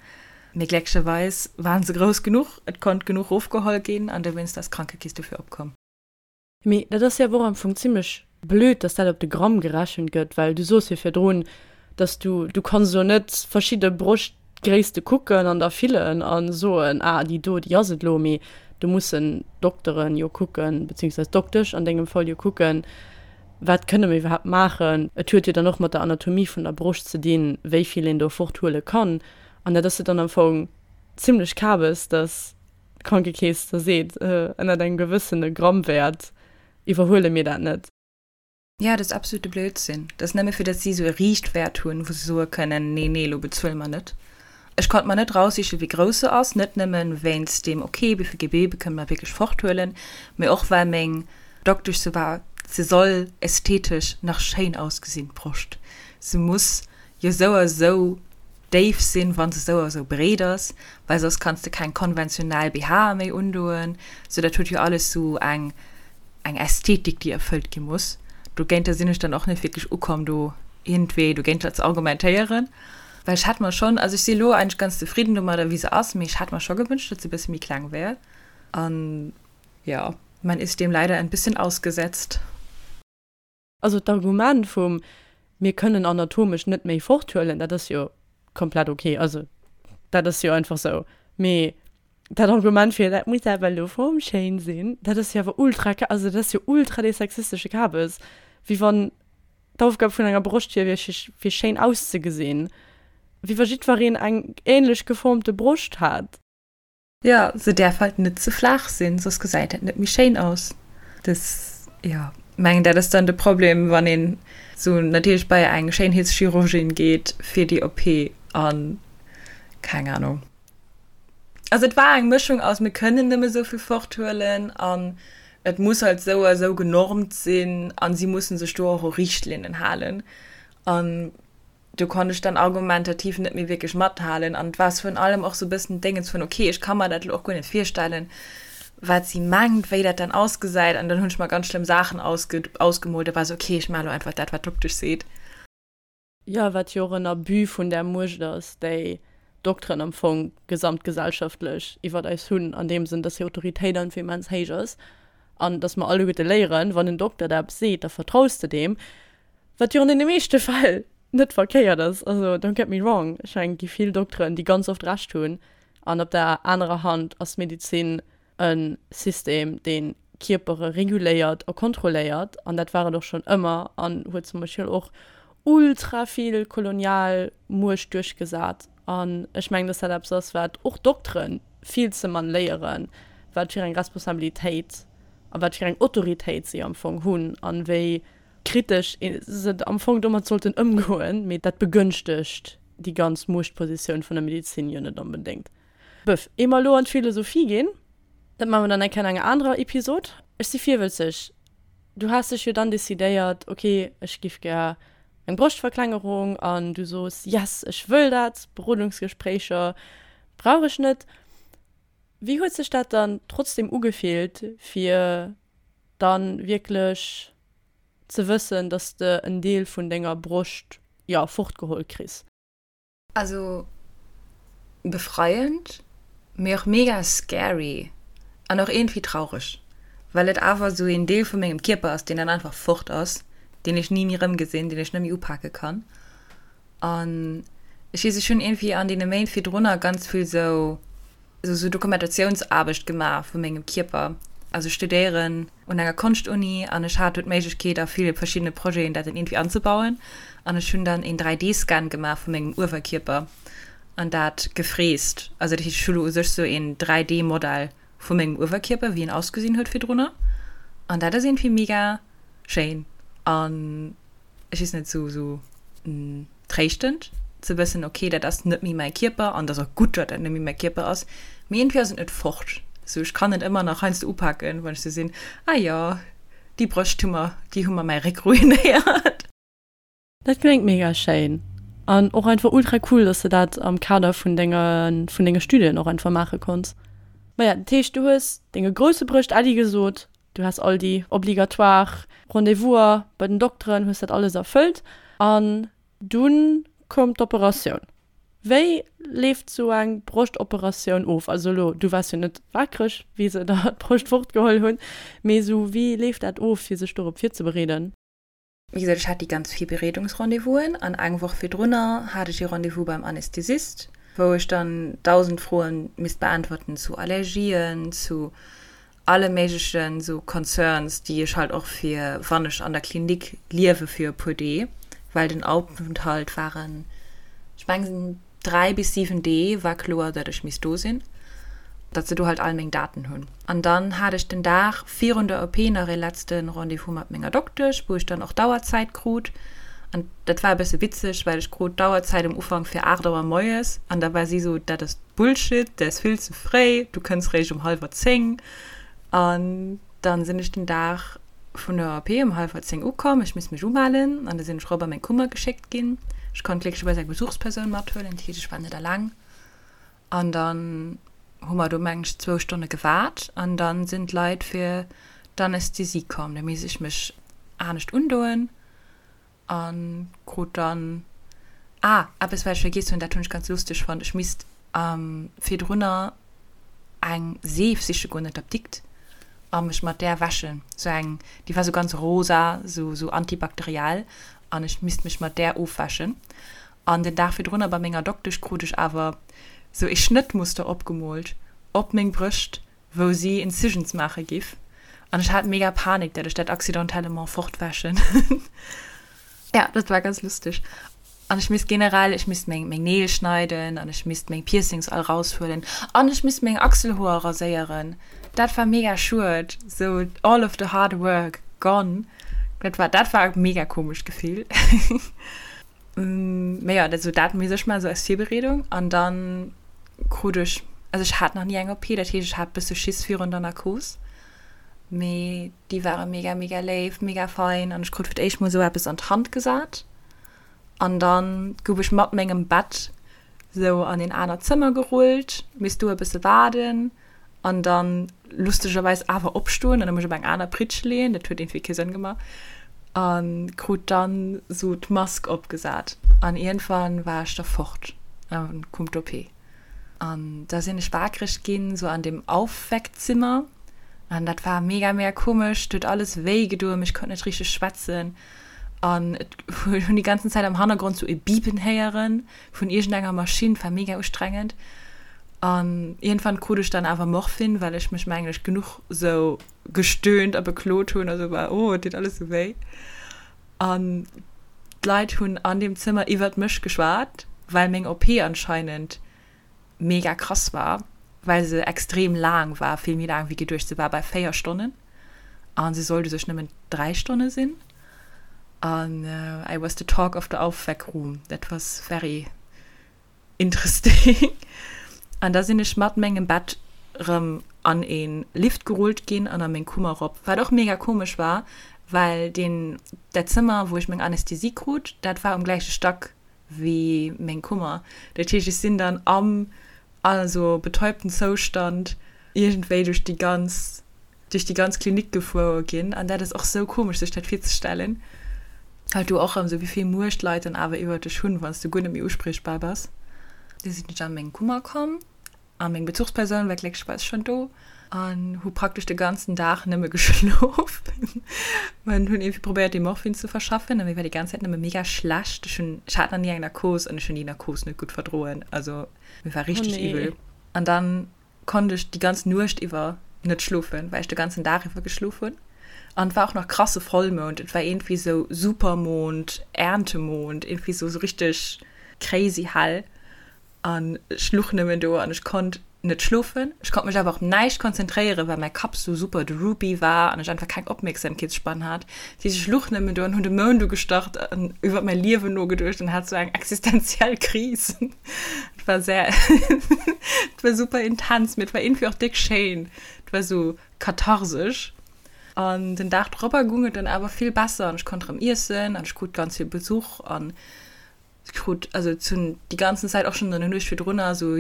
S1: Mee glécklecherweis waren se grouss genuch, et konnt genuch rofgeholl ginn an dowéinst ass d'Krankekeess dofir opkomm.
S2: Mee dat ass jo awer och am Fong zimlech blöd, dass dat op de Gramm gerechent gëtt, well du soos jo virdrun, dass du, du kanns elo net verschidde Broschtgréisste kucken an da fillen a soen, ah déi do, déi ass et elo, mee do mussen d'Dokteren jo kucken, beziehungsweise d'Doktesch an dengem Fall jo kucken, wat kënne mer iwwerhaapt maachen. Et huet jo dann och mat der Anatomie vun der Broscht ze dinn, wéi vill een do forthuele kann an dat ass jo dann am Fong zimlech kabes, dass d'Krankekeess da seet, ënnert engem gewëssene Grammwäert iwwerhuele mir dat net.
S1: Jo, dat ass absolute Blödsinn. Dat ass nëmme fir datt si esou e Riichtwäert hunn, wou se soe kënnen, nee, nee, elo bezuele mer net. Ech konnt mer net raussichen, wéi grouss se ass, net nëmme wéinst deem, ok, wéi vill Gewebe kënne mer wierklech forthuelen, mee och well meng Doktesch sou war, se soll ästhetesch nach schéin ausgesinn, d'Broscht. Se muss jo sou a sou déif sinn, wann se sou a sou breet ass, well soss kanns de keng konventionell BHe méi undoen. Sou dat huet jo alles sou eng eng Ästhetik, déi erfëllt gi muss. Dogéinter sinn ech dann och net wierklech ukomm, do iergendwéi dogéinter ze argumentéieren, well ech hätt mer schonn, also ech si elo eigentlech ganz zefridden domadder, wéi se ass, mee ech hätt mer scho gewënscht, datt se e bësse méi kleng wär. An jo, man ist dem leider ein bisschen ausgesetzt.
S2: Also d'Argument vum mir kënnen anatomesch net méi forthuelen, dat ass jo komplett ok, also dat ass jo einfach sou. Mee dat Argument fir dat muss awer elo formschéin sinn, dat ass jo awer ultra, also dat ass jo ultra dee sexistesche Kabes, wéi wann d'Aufgab vun enger Broscht wier, fir schéin auszegesinn, wéi wa jiddwereen eng änlech geformte Broscht hätt.
S1: Jo, se däerf halt net ze flaach sinn, soss gesäit dat net méi schéin aus. Des, jo, mengen dat ass dann de Problem, wann een sou natierlech bei eng Schéinheetschirurgin geet fir déi OP an keng Ahnung. Also et war eng Mëschung aus mir kënnen nëmme sou vill forthuelen an et muss halt sou a sou genormt sinn an si mussen sech do och u Richtlinnen halen an do konnt ech dann argumentativ net méi wierklech mathalen an et war virun allem och sou e bëssen d'Déngens vun, okay, ech ka mer dat elo och guer net virstellen, wat si mengt, wéi dat dann ausgesäit an dann hunn ech mer ganz schlëmm Saachen ausge ausgemoolt a war sou, okay, ech maache elo einfach dat, wat d'Doktesch seet.
S2: Jo, wat jo och en Abus vun där Muecht ass, déi d'Dokteren am Fong gesamtgesellschaftlech iwwert eis hunn, an deem Sënn, dass hir Autoritéit einfach immens héich ass an dass mer alleguerte léieren, wann en Dokter der eppes seet, da vertraus de deem. Wat jo an deene meeschte Fäll net verkéiert ass, also don't get me wrong, ech mengen et gi vill Dokteren, déi ganz oft Recht hunn, an op der anerer Hand ass d'Medezin e System, dee Kierpere reguléiert a kontrolléiert, an dat war et och schonn ëmmer an huet zum Beispill och ultra vill kolonial Muecht duerchgesat. An ech mengen, dass dat eppes ass, wat och Doktere vill ze mann léieren, wat fir eng Responsabilitéit a wat fir eng Autoritéit si am Fong hunn an wéi kritesch se am Fong domat sollten ëmgoen, mee dat begënschtegt déi ganz Muechtpositioun vun der Medezin jo net onbedéngt. Bëff, ier mer elo an d'Philosophie ginn, dat maache mer dann eng Kéier an enger anerer Episod. Ech si virwëtzeg, du has dech jo dann decidéiert, ok, ech giff gär eng Broschtverklengerung an du sos, yes, ech wëll dat, Berodungsgespréicher brauch ech net. Wéi huet sech dat dann trotzdem ugefillt, fir dann wierklech ze wëssen, dass de en Deel vun denger Broscht, jo, fortgeholl kriss?
S1: Also befreiend, mee och mega scary an och iergendwéi traureg, well et awer esou een Deel vu mengem Kierper ass, deen dann einfach fort ass, deen ech ni méi erëmgesinn, deen ech net méi upake kann. An ech weess, ech hunn iergendwéi an deene Méint virdrunner ganz vill sou sou Dokumentationsaarbecht gemaach vu mengem Kierper. Also ech studéieren un enger Konschtuni an ech hat do d'Méiglechkeet a ville verschiddene Projeten dat dann iergendwéi anzebauen. An ech hunn dann een 3D-Scan gemaach vu mengem Uewerkierper an dat gefräst. Also dat heescht, ech hu lo u sech sou een 3D-Modell vu mengem Uewerkierper, wéi en ausgesinn huet virdrunner. An dat ass iergendwéi mega schéin an ech weess net, sou, sou tréischtend ze wëssen, ok, dat ass net méi mäi Kierper an et ass och gutt, datt dat net méi mäi Kierper ass, mee iergendwéi ass et net fort. Sou, ech kann et ëmmer nach heiansdo upaken, wann ech sou sinn, ah jo, déi Brëscht hu mer, déi hu mer mäi Réck ruinéiert.
S2: Dat kléngt mega schéin an och einfach ultra cool, dass de dat am Kader vun denger, vun denge Studien och einfach maache konns. Maja, dat heescht, du hues denge grousse Brëscht Äddi gesot, du has all déi obligatoire Rendez-vouser bei den Dokteren, hues dat alles erfëllt an dunn koum d'Operatioun. Wéi leeft sou eng Broschtoperatioun of? Also elo, du waars jo net wakereg, wéi se der d'Broscht fortgeholl hunn, mee sou wéi leeft dat of, fir sech dorop virzebereeden?
S1: Wéi gesot, ech hat déi ganz Virbereedungsrendez-vousen an eng Woch virdrunner hat ech ee Rendez-vous beim Anästhesist, wou ech dann 1.000 Froen misst beäntwerten zu Allergien, zu alle méiglechen sou Concerns, déi ech halt och fir wann ech an der Klinik liewe fir e puer Dee, well den Aufenthalt waren, ech mengen 3 bis 7 Dee war kloer, datt ech misst do sinn, datt se do halt all meng Daten hunn. An dann hat ech den Dag virun der OP nach ee letzte Rendez-vous mat menger Doktesch, wou ech dann och d'Auerzäit krut. An dat war e bësse witzeg, well ech krut d'Auerzäit um Ufank fir 8 Auer moies an da war si sou, dat ass Bullshit, dat ass vill ze fréi, du kënns réischt um hallwer 10. An dann sinn ech den Dag vun der OP um hallwer 10 ukomm, ech misst mech umellen an da sinn ech rop a meng Kummer geschéckt ginn. Ech konnt glécklecherweis eng Besuchspersoun mathuelen, dat heescht ech war net alleng. An dann hu mer do mengen ech zwou Stonne gewaart an dann sinn d'Leit fir d'Anästhesie komm. Da misst ech mech anescht undoen. An krut dann, ah, eppes wat ech vergiess hunn, dat hunn ech ganz lusteg fonnt, ech misst virdrunner eng Seef siche goen an d'Apdikt a mech mat där wäschen, sou eng, déi war sou ganz rosa, sou sou antibakteriell, an ech misst mech mat där ofwäschen. An den Dag virdrunner bei menger Doktesch krut ech awer sou ee Schnëttmuster opgemoolt op meng Brëscht, wou si Incisions maache giff an ech hat mega Panik dat ech dat accidentellement fortwäschen. Ja, dat war ganz lusteg. An ech misst generell, ech misst meng meng Neel schneiden an ech misst meng Piercings all raushuelen an ech misst meng Achselhoer raséieren. Dat war mega schued, sou all of the hard work gone. Dat war dat war e mega komescht Gefill. Mee jo, dat sou dat misst ech maachen, sou als Virbereedung an dann krut ech, also ech hat nach ni eng OP, dat heescht ech hat bësse Schiss virun der Narkos, mee déi ware mega mega léif, mega fein an ech krut fir d'éischt mol sou eppes an d'Hand gesat an dann gouf ech mat mengem Bett sou an een anert Zëmmer gerullt, misst do e bësse waarden an dann lustegerweis awer opstoen an da mech op eng aner Pritsch leeën, dat huet iergendwéi kee Sënn gemaach, a krut dann sou d'Mask opgesat an iergendwann war ech da fort an koum d'OP an da sinn ech waakreg ginn, sou an deem Aufweckzimmer an dat war mega mega komesch, et huet alles wéi gedoen, mee ech konnt net richteg schwätzen an et hunn déi ganzen Zäit am Hannergrond sou e Bipen héieren vun iergendenger Maschinn, war mega ustrengend. An iergendwann krut ech dann awer Morphin, well ech mech mengen ech genuch sou gestöhnt a beklot hunn a sou war, oh et deet alles sou wéi. An d'Leit hunn an deem Zëmmer iwwert mech geschwat, well meng OP anscheinend mega krass war, well se extrem laang war, vill méi laang wéi geduecht, se war bei 4 Stonnen a se sollt u sech nëmmen 3 Stonne sinn. An I was the talk of the Aufweckroom, that was very interesting. An da sinn ech mat mengem Bett rëm an ee Lift gerullt ginn an a meng Kummer rop, wat och mega komesch war, well deen, dat Zëmmer, wou ech meng Anästhesie krut, dat war um gläiche Stack wéi meng Kummer. Dat heescht, ech sinn dann am also betäubten Zoustand iergendwéi duerch déi ganz duerch déi ganz Klinik gefuer ginn an dat ass och sou komesch sech dat virzestellen. Halt do och erëm sou wéi vill Muecht d'Leit dann awer iwwer dech hunn, wann s du guer net méi uspriechbar bass. Du sinn ech an meng Kummer komm a meng Bezuchspersoun war glécklecherweis schonn do an hu praktesch de ganzen Dag nëmme geschlof. An hunn iergendwéi probéiert dee Morphin ze verschaffen a mir war déi ganz Zäit nëmme mega schlecht. Ech hunn, ech hat nach ni eng Narkos an ech hunn déi Narkos net gutt verdroen, also mir war
S2: Oh
S1: richteg
S2: nee.
S1: iwwel. An dann konnt ech déi ganz Nuecht iwwer net schlofen, well ech de ganzen Dag iwwer geschlof hunn. An et war och nach krasse Vollmound, et war iergendwéi sou Supermond, Erntemond, iergendwéi sou sou richteg crazy hell. An ech luch nëmmen do an ech konnt net schlofen. Ech konnt mech awer op näischt konzentréieren, well mäi Kapp sou super droopy war an ech einfach keng Opmierksamkeetsspann hat. Dat heescht, ech luch nëmmen do an hunn de Mound ugestarrt an iwwer mäi Liewen nogeduecht an hat sou eng existenziell Kris. Et war sehr, et war super intens, mee et war iergendwéi och déck schéin. Et war sou katharsesch. An den Dag dropper goung et dann awer vill besser an ech konnt erëm iessen an ech krut ganz vill Besuch an. Krut also et hunn déi ganzen Zäit och schonn an der Nuecht virdrunner sou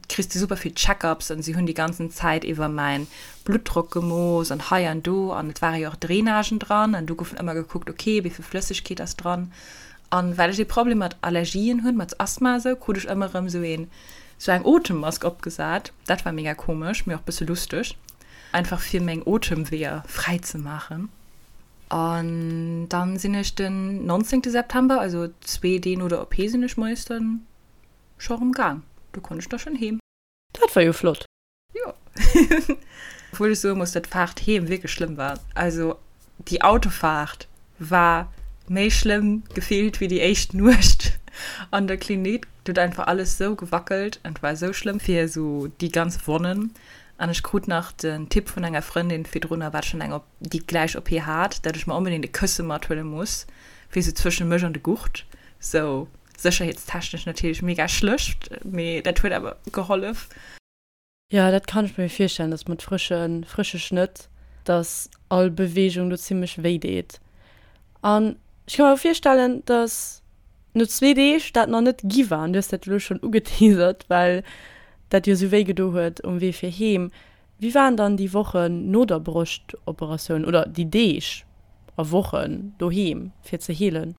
S1: kriss de super vill Check-ups an si hunn déi ganzen Zäit iwwer mäin Bluttdrock gemooss an hei an do an et ware jo och Drainagen dran an do goufen ëmmer gekuckt ok wéi vill Flëssegkeet ass dran an well ech ee Problem mat Allergien hunn, mat Asthma esou, krut ech ëmmer erëm sou een sou eng Otemmask opgesat. Dat war mega komesch mee och bësse lusteg einfach fir meng Otemweeër fräi ze maachen. An dann sinn ech den 19 September, also zwee Dee no der OP sinn ech moies dann scho rem gaang. Do konnt ech da schon heem.
S2: Dat war jo flott.
S1: Jo. Obwuel ech soe muss, dat d'Faart heem wierklech schlëmm war. Also déi Autofaart war méi schlëmm gefillt wéi déi éischt Nuecht an der Klinik. Et huet einfach alles sou gewackelt an et war sou schlëmm fir sou déi ganz Wonnen. An ech krut nach den Tipp vun enger Frëndin virdrunner, wat schonn eng op. déi gläich OP hat, dat ech mer onbedéngt e Kësse mathuele muss, fir sou zwëschen mech an de Gurt, sou sécherheetstechnesch natierlech mega schlecht, mee dat huet awer gehollef.
S2: Jo, dat kann ech mir virstellen, dass mat frësche frësche Schnëtt, dass all Beweegung do zimmlech wéi deet. An ech ka mer och virstellen, dass no zwee Deeg dat nach net gi war, an du hues dat elo schonn ugeteasert, well dat jo sou wéi gedo huet um Wee fir heem. Wéi waren dann déi Wochen no der Broschtoperatioun oder déi Deeg a Wochen doheem fir ze heelen?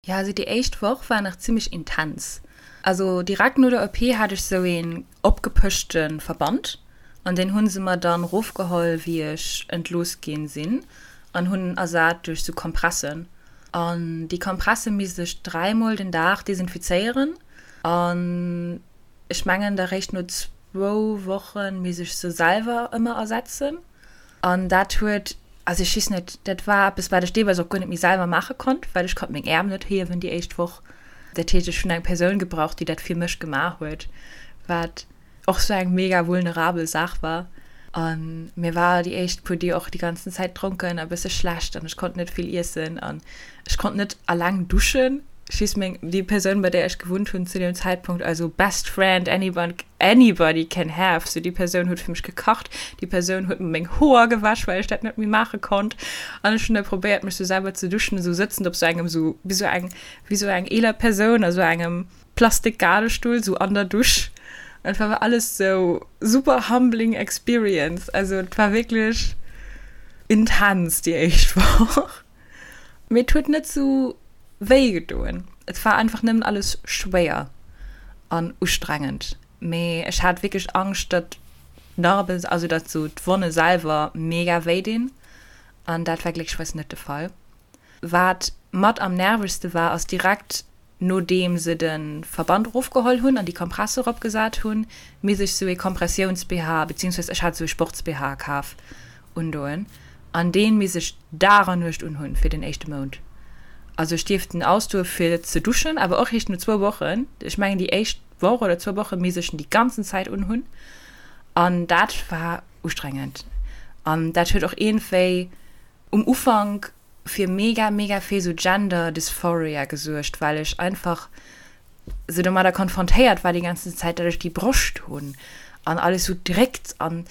S1: Jo, also déi éischt Woch war nach zimmlech intens. Also direkt no der OP hat ech sou een opgepëschte Verband an deen hunn se mer dann rofgeholl wéi ech entlooss ginn sinn an hunn en ersat duerch sou Kompressen. An déi Kompresse misst ech dräimol den Dag desinfizéieren an Ech mengen da réischt no zwou Woche misst ech se selwer ëmmer ersetzen. An dat huet, also ech weess net, dat war eppes, wat ech deelweis och guer net méi selwer maache konnt, well ech konnt meng Äerm net hiewen déi éischt Woch. Dat heescht, ech hunn eng Persoun gebraucht, déi dat fir mech gemaach huet, wat och sou eng mega vulnerabel Saach war. A mir war déi éischt puer Deeg och déi ganzen Zäit dronken a bësse schlecht an ech konnt net vill iessen an ech konnt net alleng duschen. Ech weess meng, déi Persoun bei där ech gewunnt hunn zu deem Zäitpunkt, also best friend anyone anybody can have, sou déi Persoun huet fir mech gekacht, déi Persoun huet mer meng Hoer gewäsch, well ech dat net méi maache konnt an ech hunn da probéiert mech sou selwer ze duschen, esou sëtzend op sou engem sou wéi sou eng wéi sou eng eeler Persoun a sou engem Plastik-Gadestull sou an der Dusch. Et war alles sou super humbling experience. Also et war wierklech intens déi éischt Woch. Mee et huet net sou wéi gedoen. Et war einfach nëmmen alles schwéier an ustrengend. Mee ech hat wierklech Angscht, datt d'Narben, also datt sou d'Wonne selwer mega wéi dinn. An dat war glécklecherweis net de Fall. Wat mat am nervegste war, ass direkt Nodeem se de Verband erofgeholl hunn an déi Kompresse eropgesat hunn, misst ech sou ee Kompressiouns-BH, beziehungsweise ech hat sou ee Sports-BH kaf, undoen an deen misst ech Dag an Nuecht unhunn fir den éischte Mount. Also ech dierft en ausdoe fir ze duschen, awer och eréischt no zwou Wochen. Ech mengen déi éischt Woch oder zwou Woche misst ech en déi ganzen Zäit unhunn an dat war ustrengend an dat huet och iergendwéi um Ufank fir mega mega vill sou Gender Dysphoria gesuergt, well ech einfach sou domadder konfrontéiert war déi ganzen Zäit, datt ech déi Broscht hunn an alles sou dréckt an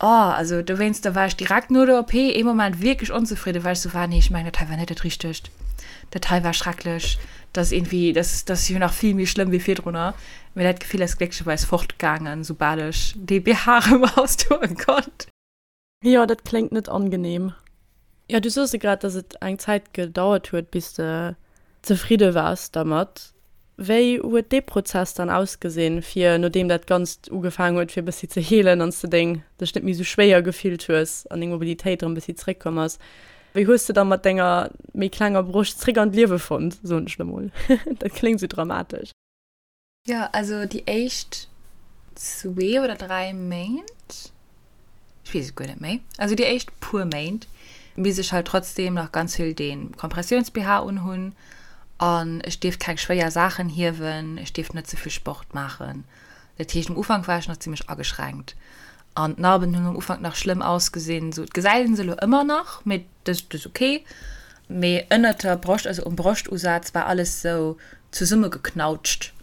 S1: oh, also dowéinster war ech direkt no der OP ee Moment wierklech onzefridden, well ech sou war, nee ech mengen dat hei war net dat Richtegt, dat hei war schrecklech, dat ass iergendwéi, dat dat ass jo nach vill méi schlëmm wéi virdrunner. Mee dat Gefill ass glécklecherweis fortgaangen, soubal ech dee BH erëm ausdoe konnt.
S2: Jo, dat kléngt net angenehm. Jo, du soos grad, dass et eng Zäit gedauert huet, bis de zefridde waars dermat. Wéi huet dee Prozess dann ausgesinn, fir nodeem dat Ganzt ugefaangen huet, fir e bëssi ze heelen an s de deng dech net méi esou schwéier gefillt hues an deng Mobilitéit erëm e bëssi zeréckkomm ass? Wéi hues de da mat denger méi klenger Broscht zeréck an d'Liewe fonnt, soen ech lo mol? Dat kléngt esou dramatesch.
S1: Jo, also déi éischt zwee oder dräi Méint, ech weess et guer net méi, also déi éischt puer Méint misst ech halt trotzdem nach ganz vill dee Kompressiouns-BH unhunn an ech dierft keng schwéier Saachen hiewen, ech dierft net ze vill Sport maachen. Dat heescht, um Ufank war ech nach zimmlech ageschränkt an d'Narben hunn um Ufank nach schlëmm ausgesinn. Sou, et gesäit een se elo ëmmer nach, mee dat ass ok. Mee ënnert der Broscht, also um Broschtusaz war alles sou zesummegeknautscht,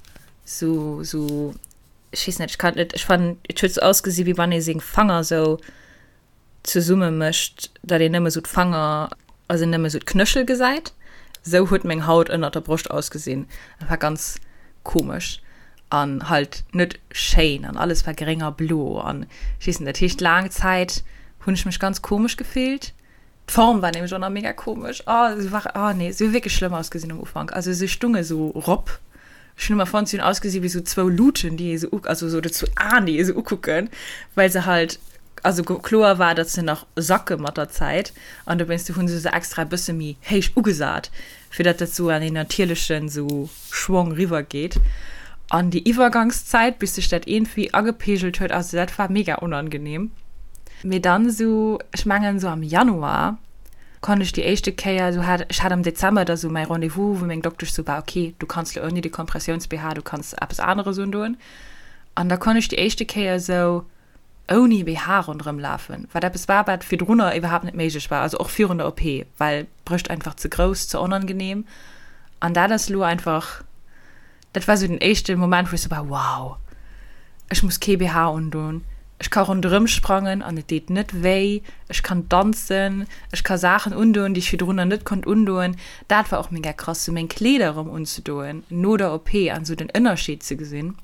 S1: sou, sou, ech weess net, ech kann et net, ech fannen, et huet sou ausgesi wéi wann ee seng Fanger sou zesumme mécht, datt een nëmme sou d'Fanger, also nëmme sou d'Knöchel gesäit. Sou huet meng Haut ënnert der Broscht ausgesinn. Dat war ganz komesch an halt net schéin an alles war gréng a blo an ech weess net. Dat heescht laang Zäit hunn ech mech ganz komesch gefillt. D'Form war nämlech och nach mega komesch. Oh, se war, oh nee, se hu wierklech schlëmm ausgesinn am Ufank. Also se stunge sou rop. Ech hunn ëmmer fonnt, se hunn ausgesi wéi sou zwou Luuten, déi ee sou, also sou, oder zwou Aen, déi ee sou ukucken, well se halt, also kloer war, datt se nach sacke mat der Zäit. An dowéinst hu se se extra e bësse méi héich ugesat, fir datt dat sou an een natierlechen sou Schwong riwwer geet. An déi Iwwergangszäit, bis sech dat iergendwéi agepeegelt huet, also dat war mega onangenehm. Mee dann esou, ech mengen esou am Januar, konnt ech déi éischte Kéier, esou hat, ech hat am Dezember da sou mäi Rendez-vous, wou meng Doktesch sou war, ok, du kanns lo ouni de Kompressiouns-BH, du kanns eppes aneres undoen. An da konnt ech déi éischte Kéier esou ouni BH ronderëm lafen, wat eppes war, wat virdrunner iwwerhaapt net méiglech war, also och virun der OP, well d'Brëscht einfach ze grouss, ze onangenehm. An dat ass lo einfach. Dat war sou den éischte Moment, wou ech sou war, wow, ech muss kee BH undoen, ech ka ronderëm sprangen an et deet net wéi, ech kann danzen, ech ka Saachen undoen, déi ech virdrunner net konnt undoen. Dat war och mega krass, sou meng Kleeder erëm unzedoen no der OP an sou den Ënnerscheed ze gesinn.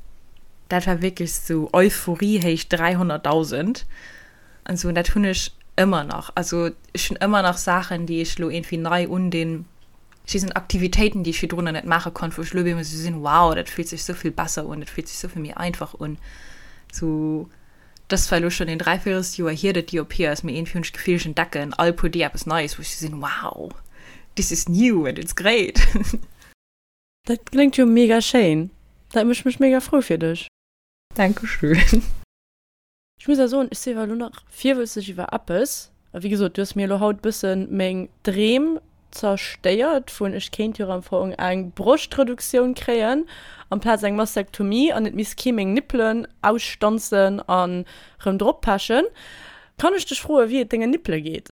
S1: Dat war wierklech sou Euphorie héich 300.000 an sou. An dat hunn ech ëmmer nach. Also ech hunn ëmmer nach Saachen, déi ech lo iergendwéi nei undinn. Si sinn Aktivitéiten, déi ech virdrunner net maache konnt, wou ech elo op eemol esou sinn, wow, dat fillt sech esou vill besser un, dat fillt sech esou vill méi einfach un. Sou, dat ass zwar elo schonn een Dräivéierelsjoer hier, datt déi OP ass, mee iergendwéi hunn ech d'Gefill, ech entdecken all puer Deeg eppes Neies, wou ech esou sinn, wow, this is new and it's great.
S2: Dat kléngt jo mega schéin. Dat mécht mech mega frou fir dech.
S1: Dankeschön.
S2: Ech muss awer soen, ech si awer elo nach virwëtzeg iwwer eppes. A wéi gesot, du hues mir elo haut bëssen meng Dreem zerstéiert vun ech kéint jo am Fong eng Broschtreduktioun kréien amplaz eng Mastektomie an et misst kee meng Nippelen ausstanzen an rëm drop pechen. Kann ech dech froen, wéi et dengen Nippele geet?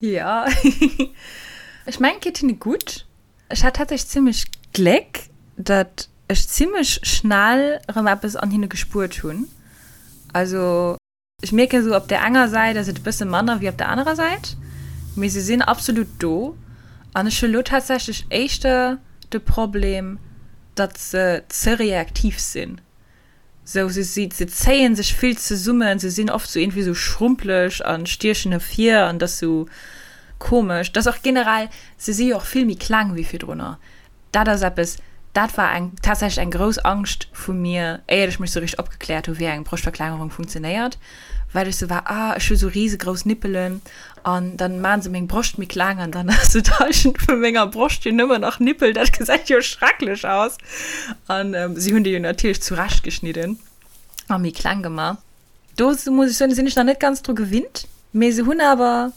S1: Jo, ech mengen et geet hinne gutt. Ech hat tatsächlech zimmlech Gléck, datt ech zimmlech schnell erëm eppes an hinne gespuert hunn. Also ech mierken esou, op där enger Säit ass et e bësse manner wéi op der anerer Säit, mee se sinn absolut do. An ech hu lo tatsächlech éischter de Problem, datt se ze reaktiv sinn. Sou, se si, se zéien sech vill zesummen, se sinn oft sou iergendwéi sou schrumpeleg an stiechen ervir an dat ass sou komesch. Dat ass och generell, se si jo och vill méi kleng wéi virdrunner. Dat ass eppes, dat war eng, tatsächlech eng grouss Angscht vu mir, éiert ech mech sou richteg opgekläert hu wéi eng Broschtverklengerung funktionéiert, well ech sou war, ah ech hu sou risegrouss Nippelen An dann maan se meng Broscht méi kleng an dann ass et d'Halschent vu menger Broscht jo nëmmen nach Nippel. Dat gesäit jo schrecklech aus. An si hunn déi jo natierlech zurecht geschnidden a méi kleng gemaach. Do muss ech soen, sinn ech nach net ganz dru gewinnt, mee se hunn awer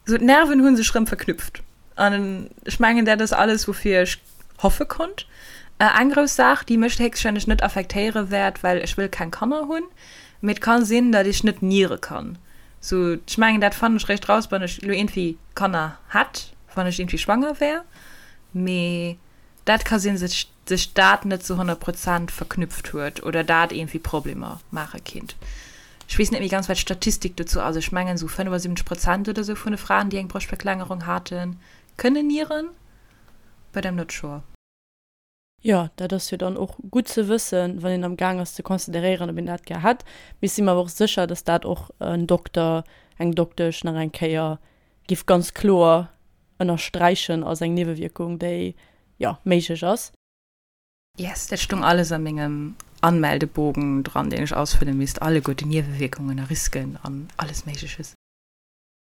S1: sou d'Nerven hu sech rëm verknüpft. An ech mengen dat ass alles woufir ech hoffe konnt. Eng grouss Saach déi mech héchstwahrscheinlech net affektéiere wäert, well ech wëll keng Kanner hunn, mee et ka sinn, datt ech net niere kann. Sou, ech mengen dat fannen ech réischt raus, wann ech lo iergendwéi Kanner hätt, wann ech iergendwéi schwanger wär. Mee dat ka sinn, sech sech dat net zu 100 Prozent verknüpft huet oder dat iergendwéi Problemer maache kinnt. Ech weess net méi ganz, wat d'Statistik dozou ass. Ech mengen sou 75 Prozent oder sou vun de Fraen, déi eng Broschtverklengerung haten, kënnen nieren, but I'm not sure.
S2: Jo, dat ass jo dann och gutt ze wëssen, wann een am Gaang ass ze consideréieren, ob een dat gär hätt. Mee ech si mer awer och sécher, dass dat och en Dokter, eng Doktesch nach eng Kéier géif ganz kloer ënnersträichen als eng Niewewierkung, déi, jo, méiglech ass.
S1: Yes, dat stung alles a mengem Anmeldebogen dran, deen ech ausfëlle misst, alleguer déi Niewewierkungen a Risken an alles Méigleches.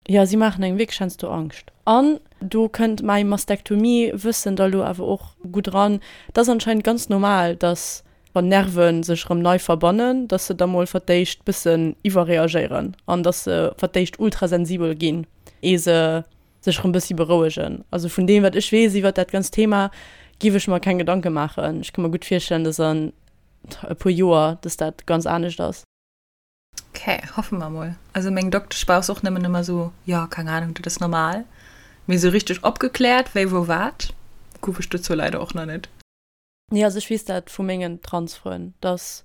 S2: Jo, si maachen engem wierklech heiansdo Angscht. An do kënnt mäi Mastektomie-Wëssen da lo awer och gutt eran. Et ass anscheinend ganz normal, dass wann Nerve sech erëm nei verbannen, dass se da mol fir d'éischt bëssen iwwerreagéieren an dass se fir d'éischt ultrasensibel ginn, ee se sech erëm bëssi berouegen. Also vun deem, wat ech weess iwwert dat ganzt Thema, giff ech mer keng Gedanke maachen. Ech ka mer gutt virstellen, dass an e puer Joer, dass dat ganz anescht ass.
S1: Ok, hoffe mer mol. Also meng Doktesch war och nëmmen ëmmer sou, jo, keng Ahnung, dat ass normal. Mee sou richteg opgekläert, wéi, wou, wat, gouf ech dozou leider och nach net.
S2: Nee, also ech weess dat vu mengen Transfrënn, dass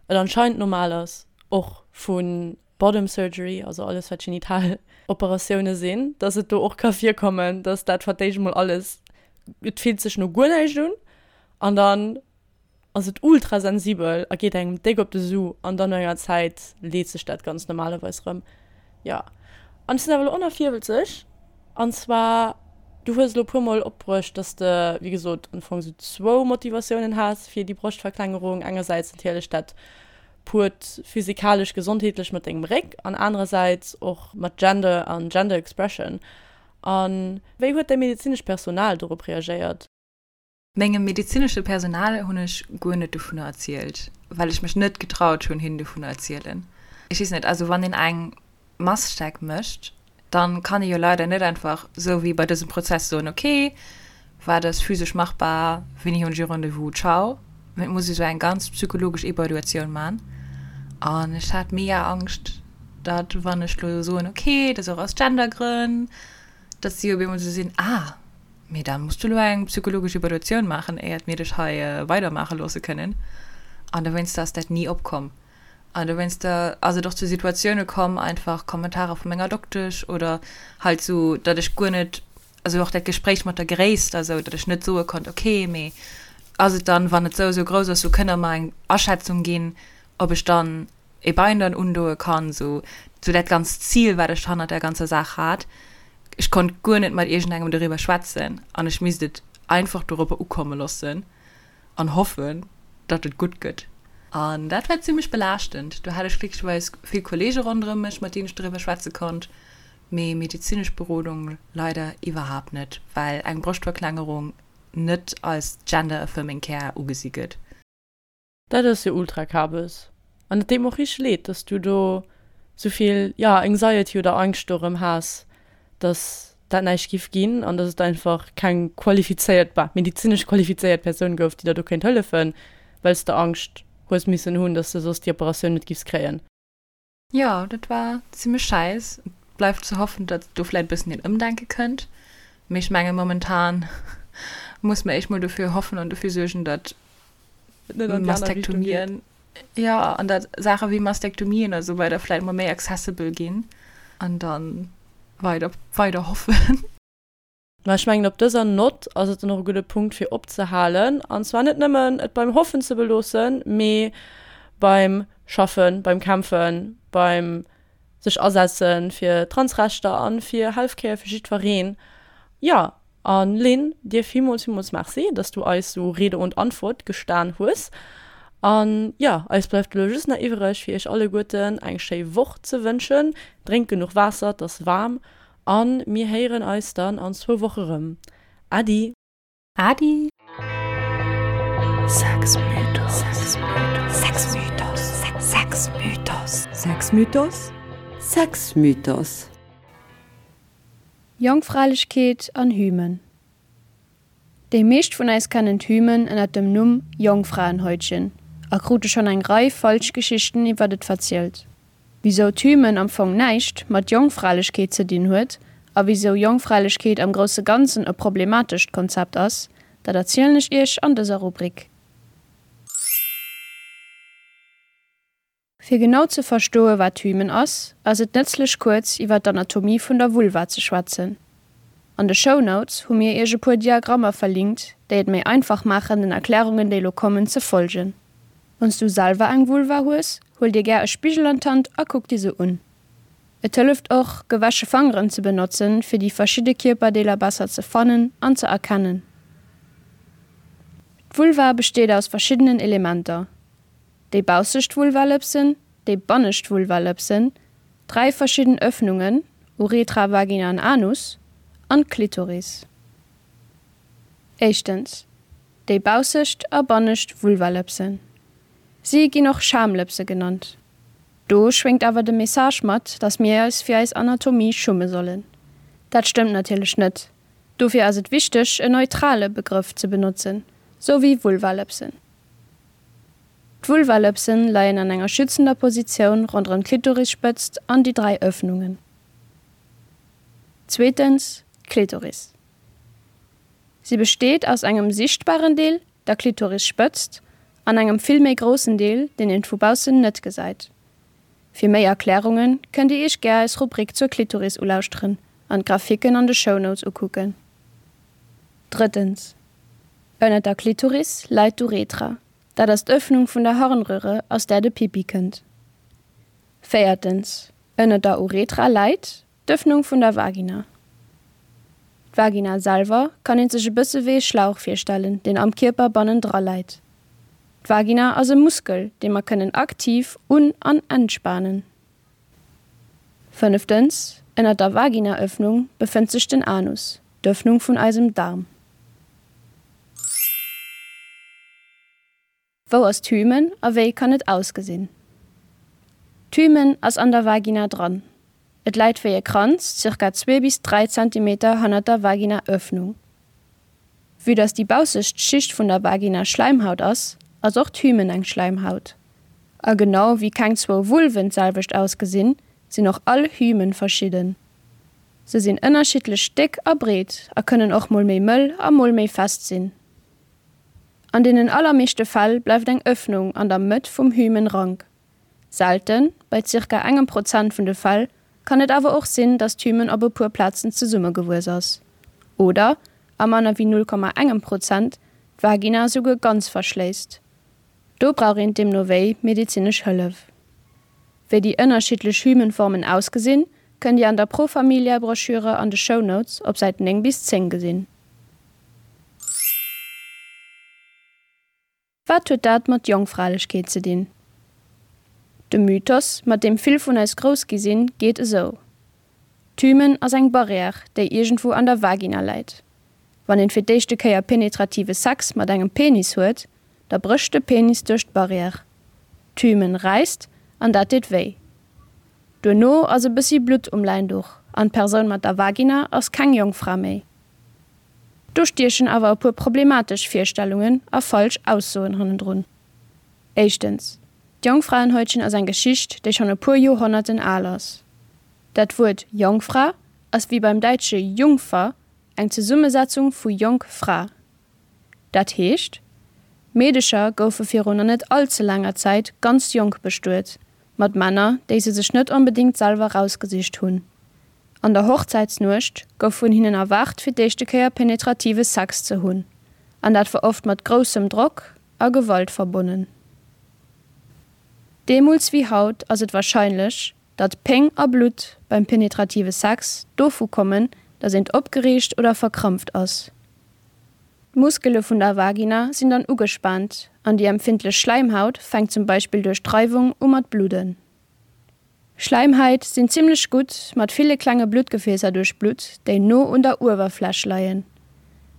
S2: et anscheinend normal ass, och vu Bottom Surgery, also alles wat genital Operatioune sinn, dass et do och ka virkommen, dass dat fir d'éischt mol alles. et fillt sech no guer näischt un an dann ass et ultra sensibel a geet engem déck op de Su an dann no enger Zäit leet sech dat Ganzt normalerweis rëm. Jo, an ech sinn awer elo och nach virwëlzeg an zwar, du hues elo e puer mol opbruecht, dass de wéi gesot am Fong sou zwou Motivatiounen has fir déi Broschtverklengerung, engersäits natierlech dat puert physikalesch gesondheetlech mat dengem Réck an anerersäits och mat Gender an Gender Expression. A wéi huet däi medezinescht Personal dorop reagéiert?
S1: Mengem medezinesche Personal hunn ech guer net dovunner erzielt, well ech mech net getraut hunn, hinnen dovunner erzielen. Ech weess net, also wann een eng Massteck mécht, dann kann ee jo leider net einfach sou wéi bei dësem Prozess soen, ok, wat ass physesch machbar, wéini hunn ech e Rendez-vous, ciao. Mee et muss ee sou eng ganz psychologesch Evaluatioun man an ech hat mega Angscht, datt wann ech lo soen, ok, dat ass och aus Gendergrënn, datt si op eemol sou sinn, ah, Mee da muss du elo eng psychologesch Evaluatioun maachen, éiert mir dech hei weidermaache loosse kënnen. An dowéinster ass dat ni opkomm. An dowéinster ass et och zu Situatioune komm, einfach Kommentarer vu menger Doktesch oder halt sou, datt ech guer net, also och dat Gespréich mat der Gréisst a sou, datt ech net soe konnt, okay, mee ass et dann, wann et sou a sou grouss ass, sou kënnt der mer eng Aschätzung ginn, ob ech dann e Binder undoe kann, sou sou dat ganzt Zil, wat ech hannert der ganzer Saach hat. Ech konnt guer net mat iergendengem doriwwer schwätzen an ech misst et einfach doropper ukomme loossen an hoffen, datt et gutt gëtt. An dat war zimmlech belaaschtend. Do hat ech glécklecherweis vill Kolleege ronderëm mech, mat deenen ech doriwwer schwätze konnt, mee medezinesch Berodung leider iwwerhaapt net, well eng Broschtverklengerung net als gender affirming care ugesi gëtt.
S2: Dat ass jo ultra kabes. An et deet mer och richteg leed, dass du do souvill, jo, Anxiety oder Angscht dorëm has, dass dat näischt giff ginn an dass et einfach keng qualifizéiert, bah, medizinesch qualifizéiert Persoun gouf, déi der do kéint hëllefen, well s de Angscht hues missen hunn, dass de soss déi Operatioun net giffs kréien.
S1: Jo, dat war zimmlech schäiss. Et bleift ze hoffen, datt do vläit e bëssen een Ëmdenke kënnt. Mee ech menge momentan muss mer éischt mol dofir hoffen an dofir suergen, datt Mastektomien, jo, an datt Saache wéi Mastektomien a sou weider vläit mol méi accessible ginn an da weider, weider hoffen.
S2: Mä ech mengen, op dëser Nott ass et dann och e gudde Punkt fir opzehalen, an zwar net nëmmen et beim Hoffen ze beloossen, mee beim Schaffen, beim Kämpfen, beim sech asetze fir Transrechter a fir Healthcare fir jiddwereen. Jo, a Lynn, dir villmools, villmools Merci, dass du eis sou Rede und Antwort gestan hues. An jo, eis bleift elo just nach iwwreg, fir iech alleguerten eng schéi Woch ze wënschen. Drénkt genuch Waasser, et ass waarm. An mir héieren eis dann an zwou Woche rëm. Äddi!
S1: Äddi!
S3: Sexmythos.
S5: Jongfralechkeet an Hymen. Déi meescht vun eis kennen d'Hymen ënnert dem Numm Jongfraenhäutchen a krute schonn eng Rei falsch Geschichten iwwert et verzielt. Wisou d'Hymen am Fong näischt mat Jongfralechkeet ze dinn huet a wisou Jongfralechkeet am grousse Ganzen e problematescht Konzept ass, dat erzielen ech iech an dëser Rubrik. Fir genau ze verstoe wat Hymen ass, ass et nëtzlech kuerz iwwer d'Anatomie vun der Vulva ze schwätzen. An de Shownotes hu mir iech e puer Diagrammer verlinkt, déi et méi einfach maachen den Erklärungen déi lo kommen ze folgen. Wann s du selwer eng Vulva hues, huel dir gär e Spigel an d'Hand a kuck dir se un. Et hëlleft och, gewäsche Fangeren ze benotzen, fir déi verschidde Kierperdeeler besser ze fannen an ze erkennen. D'Vulva besteet aus verschiddenen Elementer, déi baussecht Vulvalëpsen, déi bannescht Vulvalëpsen, 3 verschidden Ëffnungen, Uretra, Vagina an Anus, an d'Klitoris. Éischtens, déi baussecht a bannescht Vulvalëpsen. Si ginn och Schamlëpse genannt. Do schwéngt awer de Message mat, dass mir eis fir eis Anatomie schumme sollen. Dat stëmmt natierlech net. Dofir ass et wichteg, en neutrale Begrëff ze benotzen, sou wéi Vulvalëpsen. D'Vulvalëpsen leien an enger schützender Positioun ronderëm d'Klitorisspëtzt an déi 3 Ëffnungen. Zweetens, d'Klitoris. Si besteet aus engem sichtbaren Deel, der Klitorisspëtzt, an engem vill méi groussen Deel, deen een vu baussen net gesäit. Fir méi Erklärunge kënnt Dir Iech gär eis Rubrik zur Klitoris ulauschteren an d'Grafiken an de Shownotes ukucken. Drëttens, Ënnert der Klitoris läit d'Uretra, dat ass d'Ëffnung vun der Harnröhre aus där de Pipi kënnt. Véiertens, Ënnert der Uretra läit d'Ëffnung vun der Vagina. D'Vagina selwer kann een sech e bësse wéi e Schlauch virstellen, deen am Kierper bannendra läit. D'Vagina ass e Muskel, dee mer kënnen aktiv un an entspanen. Fënneftens, Ënnert der Vaginaëffnung befënnt sech den Anus, d'Ëffnung vun eisem Daarm. Wou ass d'Hymen a wéi kann et ausgesinn? D'Hymen ass an der Vagina dran. Et läit wéi e Kranz zirka zwee bis 3 Zentimeter hannert der Vaginaëffnung. Vue dass déi baussescht Schicht vun der Vagina Schläimhaut ass, ass och d'Hymen eng Schläimhaut. A genau wéi keng zwou Vulven d'selwecht ausgesinn, sinn och all Hymen verschidden. Se sinn ënnerschiddlech déck a breet a kënnen och mol méi mëll a mol méi fest sinn. An deenen allermeeschte Fäll bleift eng Ëffnung an der Mëtt vum Hymen rank. Selten, bei zirka engem Prozent vun de Fäll, kann et awer och sinn, datt d'Hymen op e puer Plazen zesummegewuess ass. Oder, a manner wéi 0, engem Prozent, d'Vagina esouguer ganz verschléisst. Do brauch een deemno wéi medezinesch Hëllef. Wéi déi ënnerschiddlech Hymenformen ausgesinn, kënnt Dir an der Pro Familia Broschüre an de Shownotes op Säit 9 bis 10 gesinn. Wat huet dat mat Jongfralechkeet ze dinn? De Mythos, mat deem vill vun eis grouss gi sinn, geet esou, D'Hymen ass eng Barrière, déi iergendwou an der Vagina läit. Wann een fir d'éischte Kéier penetrative Sex mat engem Penis huet, da brécht de Penis duerch d'Barrière. D'Hymen räisst an dat deet wéi. Duerno ass e bëssi Blutt um Läinduch an d'Persoun mat der Vagina ass keng Jongfra méi. Do stiechen awer e puer problematesch Virstellungen a falsch Aussoen hannendrun. Éischtens, D'Jongfraenhäutchen ass eng Geschicht, déi schonn e puer Joerhonnerten al ass. Dat Wuert Jongfra ass wéi beim däitsche Jungfer eng Zesummesetzung vu Jonk Fra. Dat heescht, Meedecher goufe virun nach net all ze laanger Zäit ganz jonk bestuet, mat Männer, déi se sech net onbedéngt selwer rausgesicht hunn. An der Hochzäitsnuecht gouf vun hinnen erwaart fir d'éischte Kéier penetrative Sex ze hunn, an dat war oft mat groussem Drock a Gewalt verbonnen. Deemools wéi haut ass et warscheinlech, datt Péng a Blutt beim penetrative Sex dovu kommen, datt eent opgereegt oder verkrampft ass. D'Muskele vun der Vagina sinn dann ugespaant an déi empfindlech Schläimhaut fänkt zum Beispill duerch d'Reiwung u mat bludden. Schläimhait sinn zimmlech gutt mat ville klenge Bluttgefäässer duerchblutt, déi no un der Uewerfläch leien.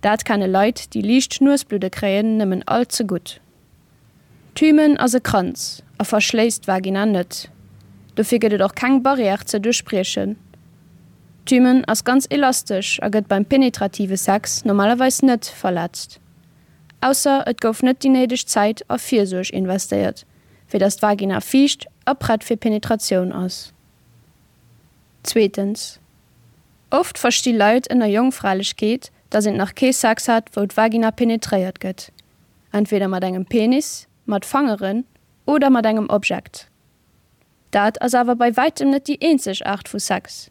S5: Dat kenne Leit, déi liicht Nuesbludde kréien, nëmmen all ze gutt. D'Hymen ass e Kranz a verschléisst d'Vagina net. Dofir gëtt et och keng Barrière ze duerchbriechen. D'Hymen ass ganz elastesch a gëtt beim penetrative Sex normalerweis net verletzt. Ausser et gouf net déi néideg Zäit a Virsuerg investéiert, fir dass d'Vagina fiicht a prett fir Penetratioun ass. Zweetens, Oft versti Leit ënner Jongfralechkeet, dass eent nach kee Sex hat, wou d'Vagina penetréiert gëtt, entweder mat engem Penis, mat Fangeren oder mat engem Objekt. Dat ass awer bei wäitem net déi eenzeg Aart vu Sex.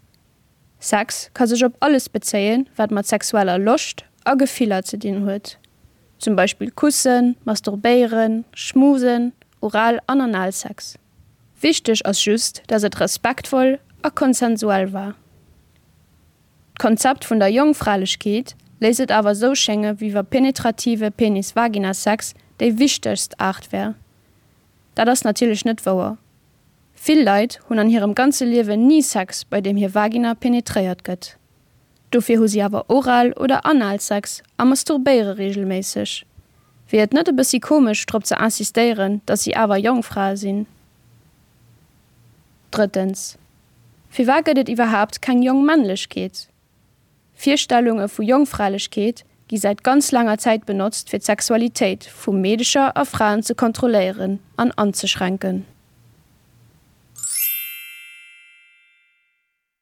S5: Sex ka sech op alles bezéien, wat mat sexueller Loscht a Gefiller ze dinn huet, zum Beispill Kussen, Masturbéieren, Schmusen, Oral an Analsex. Wichteg ass just, dass et respektvoll a konsensuell war. D'Konzept vun der Jongfralechkeet léisst et awer sou schénge wéi wa penetrative Penis-Vagina-Sex déi wichtegst Aart wär. Dat ass natierlech net wouer. Vill Leit hunn an hirem ganze Liewen ni Sex, bei deem hir Vagina penetréiert gëtt. Dofir hu si awer Oral oder Analsex a masturbéiere reegelméisseg. Wier et net e bëssi komesch, drop ze insistéieren, dass si awer Jongfrae sinn? Drëttens, Firwat gëtt et iwwerhaapt keng Jongmännlechkeet? Virstellunge vu Jongfralechkeet gi säit ganz laanger Zäit benotzt fir d'Sexualitéit vu Meedecher a Fraen ze kontrolléieren an anzeschränken.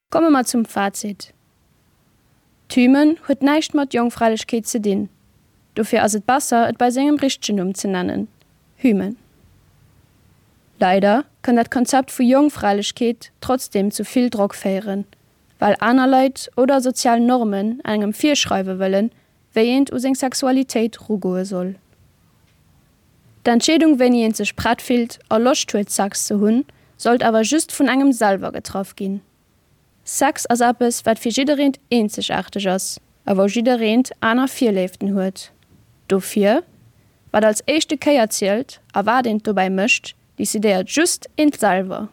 S5: Komme mer zum Fazit, D'Hymen huet näischt mat Jongfralechkeet ze dinn, dofir ass et besser et bei sengem richtegen Numm ze nennen, Hymen. Leider kann dat Konzept vu Jongfralechkeet trotzdeem zu vill Drock féieren, well aner Leit oder sozial Normen engem virschreiwe wëllen, wéi eent u seng Sexualitéit rugoe soll. D'Entscheedung wéini eent sech prett fillt a Loscht huet Sex ze hunn, sollt awer just vun engem selwer getraff ginn. Sex ass eppes wat fir jiddereent eenzegaarteg ass a wou jiddereent aner Virléiften huet. Dofir, wat als éischte Kéier zielt a wat eent dobäi mécht, decidéiert just eent selwer.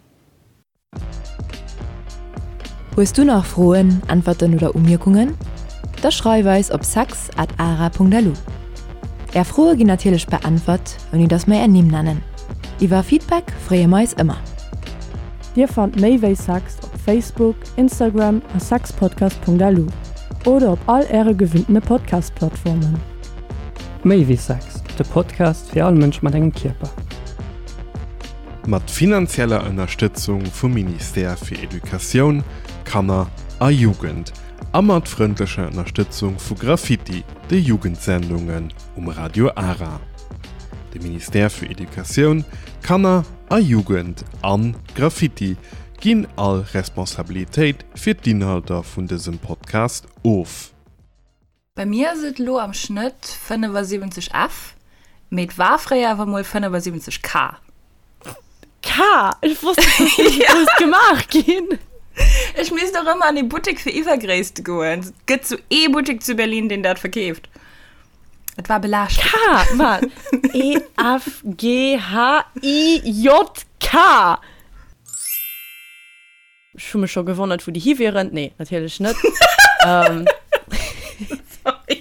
S3: Hues du nach Froen, Äntwerten oder Umierkungen? Da schreif eis op sex at ara.lu. Är Froe ginn natierlech beäntwert, ouni dass mer är Nimm nennen. Iwwer Feedback freeë mer eis ëmmer.
S2: Dir fannt méi wéi Sex op Facebook, Instagram a sexpodcast.lu oder op all äre gewinntene Podcast-Plattformen.
S6: Méi wéi Sex, de Podcast fir all Mënsch mat engem Kierper.
S4: Mat finanzieller Ënnerstëtzung vum Ministère fir Educatioun, Kanner a Jugend a mat frëndlecher Ënnerstëtzung vu Graffiti, de Jugendsendungen um Radio Ara. De Ministère fir Educatioun, Kanner a Jugend an Graffiti ginn all Responsabilitéit fir d'Inhalter vun dësem Podcast of.
S1: Bei mir ass et elo am Schnëtt 75 F, mee et war fréier awer mol 75 K.
S2: K? Ech wosst net, dass déi sou grouss gemaach ginn.
S1: Ech misst och ëmmer an ee Buttek fir Iwwergréisst goen. Et gëtt sou ee Buttek zu Berlin, deen dat verkeeft. Et war belaaschtend.
S2: K, man. E, F, G, H, I, J, K. Ech hu mech scho gewonnert, wou déi hi wieren. Nee, natierlech net. ähm.
S1: Sorry.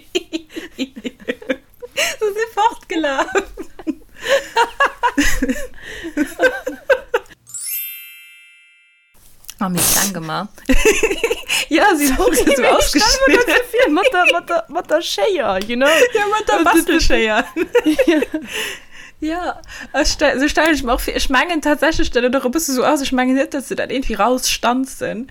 S1: Se si fortgelaf. Oh, mir kleng gemaach. Ja, si
S2: hu se sou ausgeschnidden. Mat der, mat der, mat der Schéier, you know?
S1: Ja, mat der Bastelschéier. Ja, ech stell, sou stellen ech mer och vir. Ech mengen tatsächlech, datt et och e bësse sou ass. Ech mengen net, datt se dat iergendwéi rausstanzen.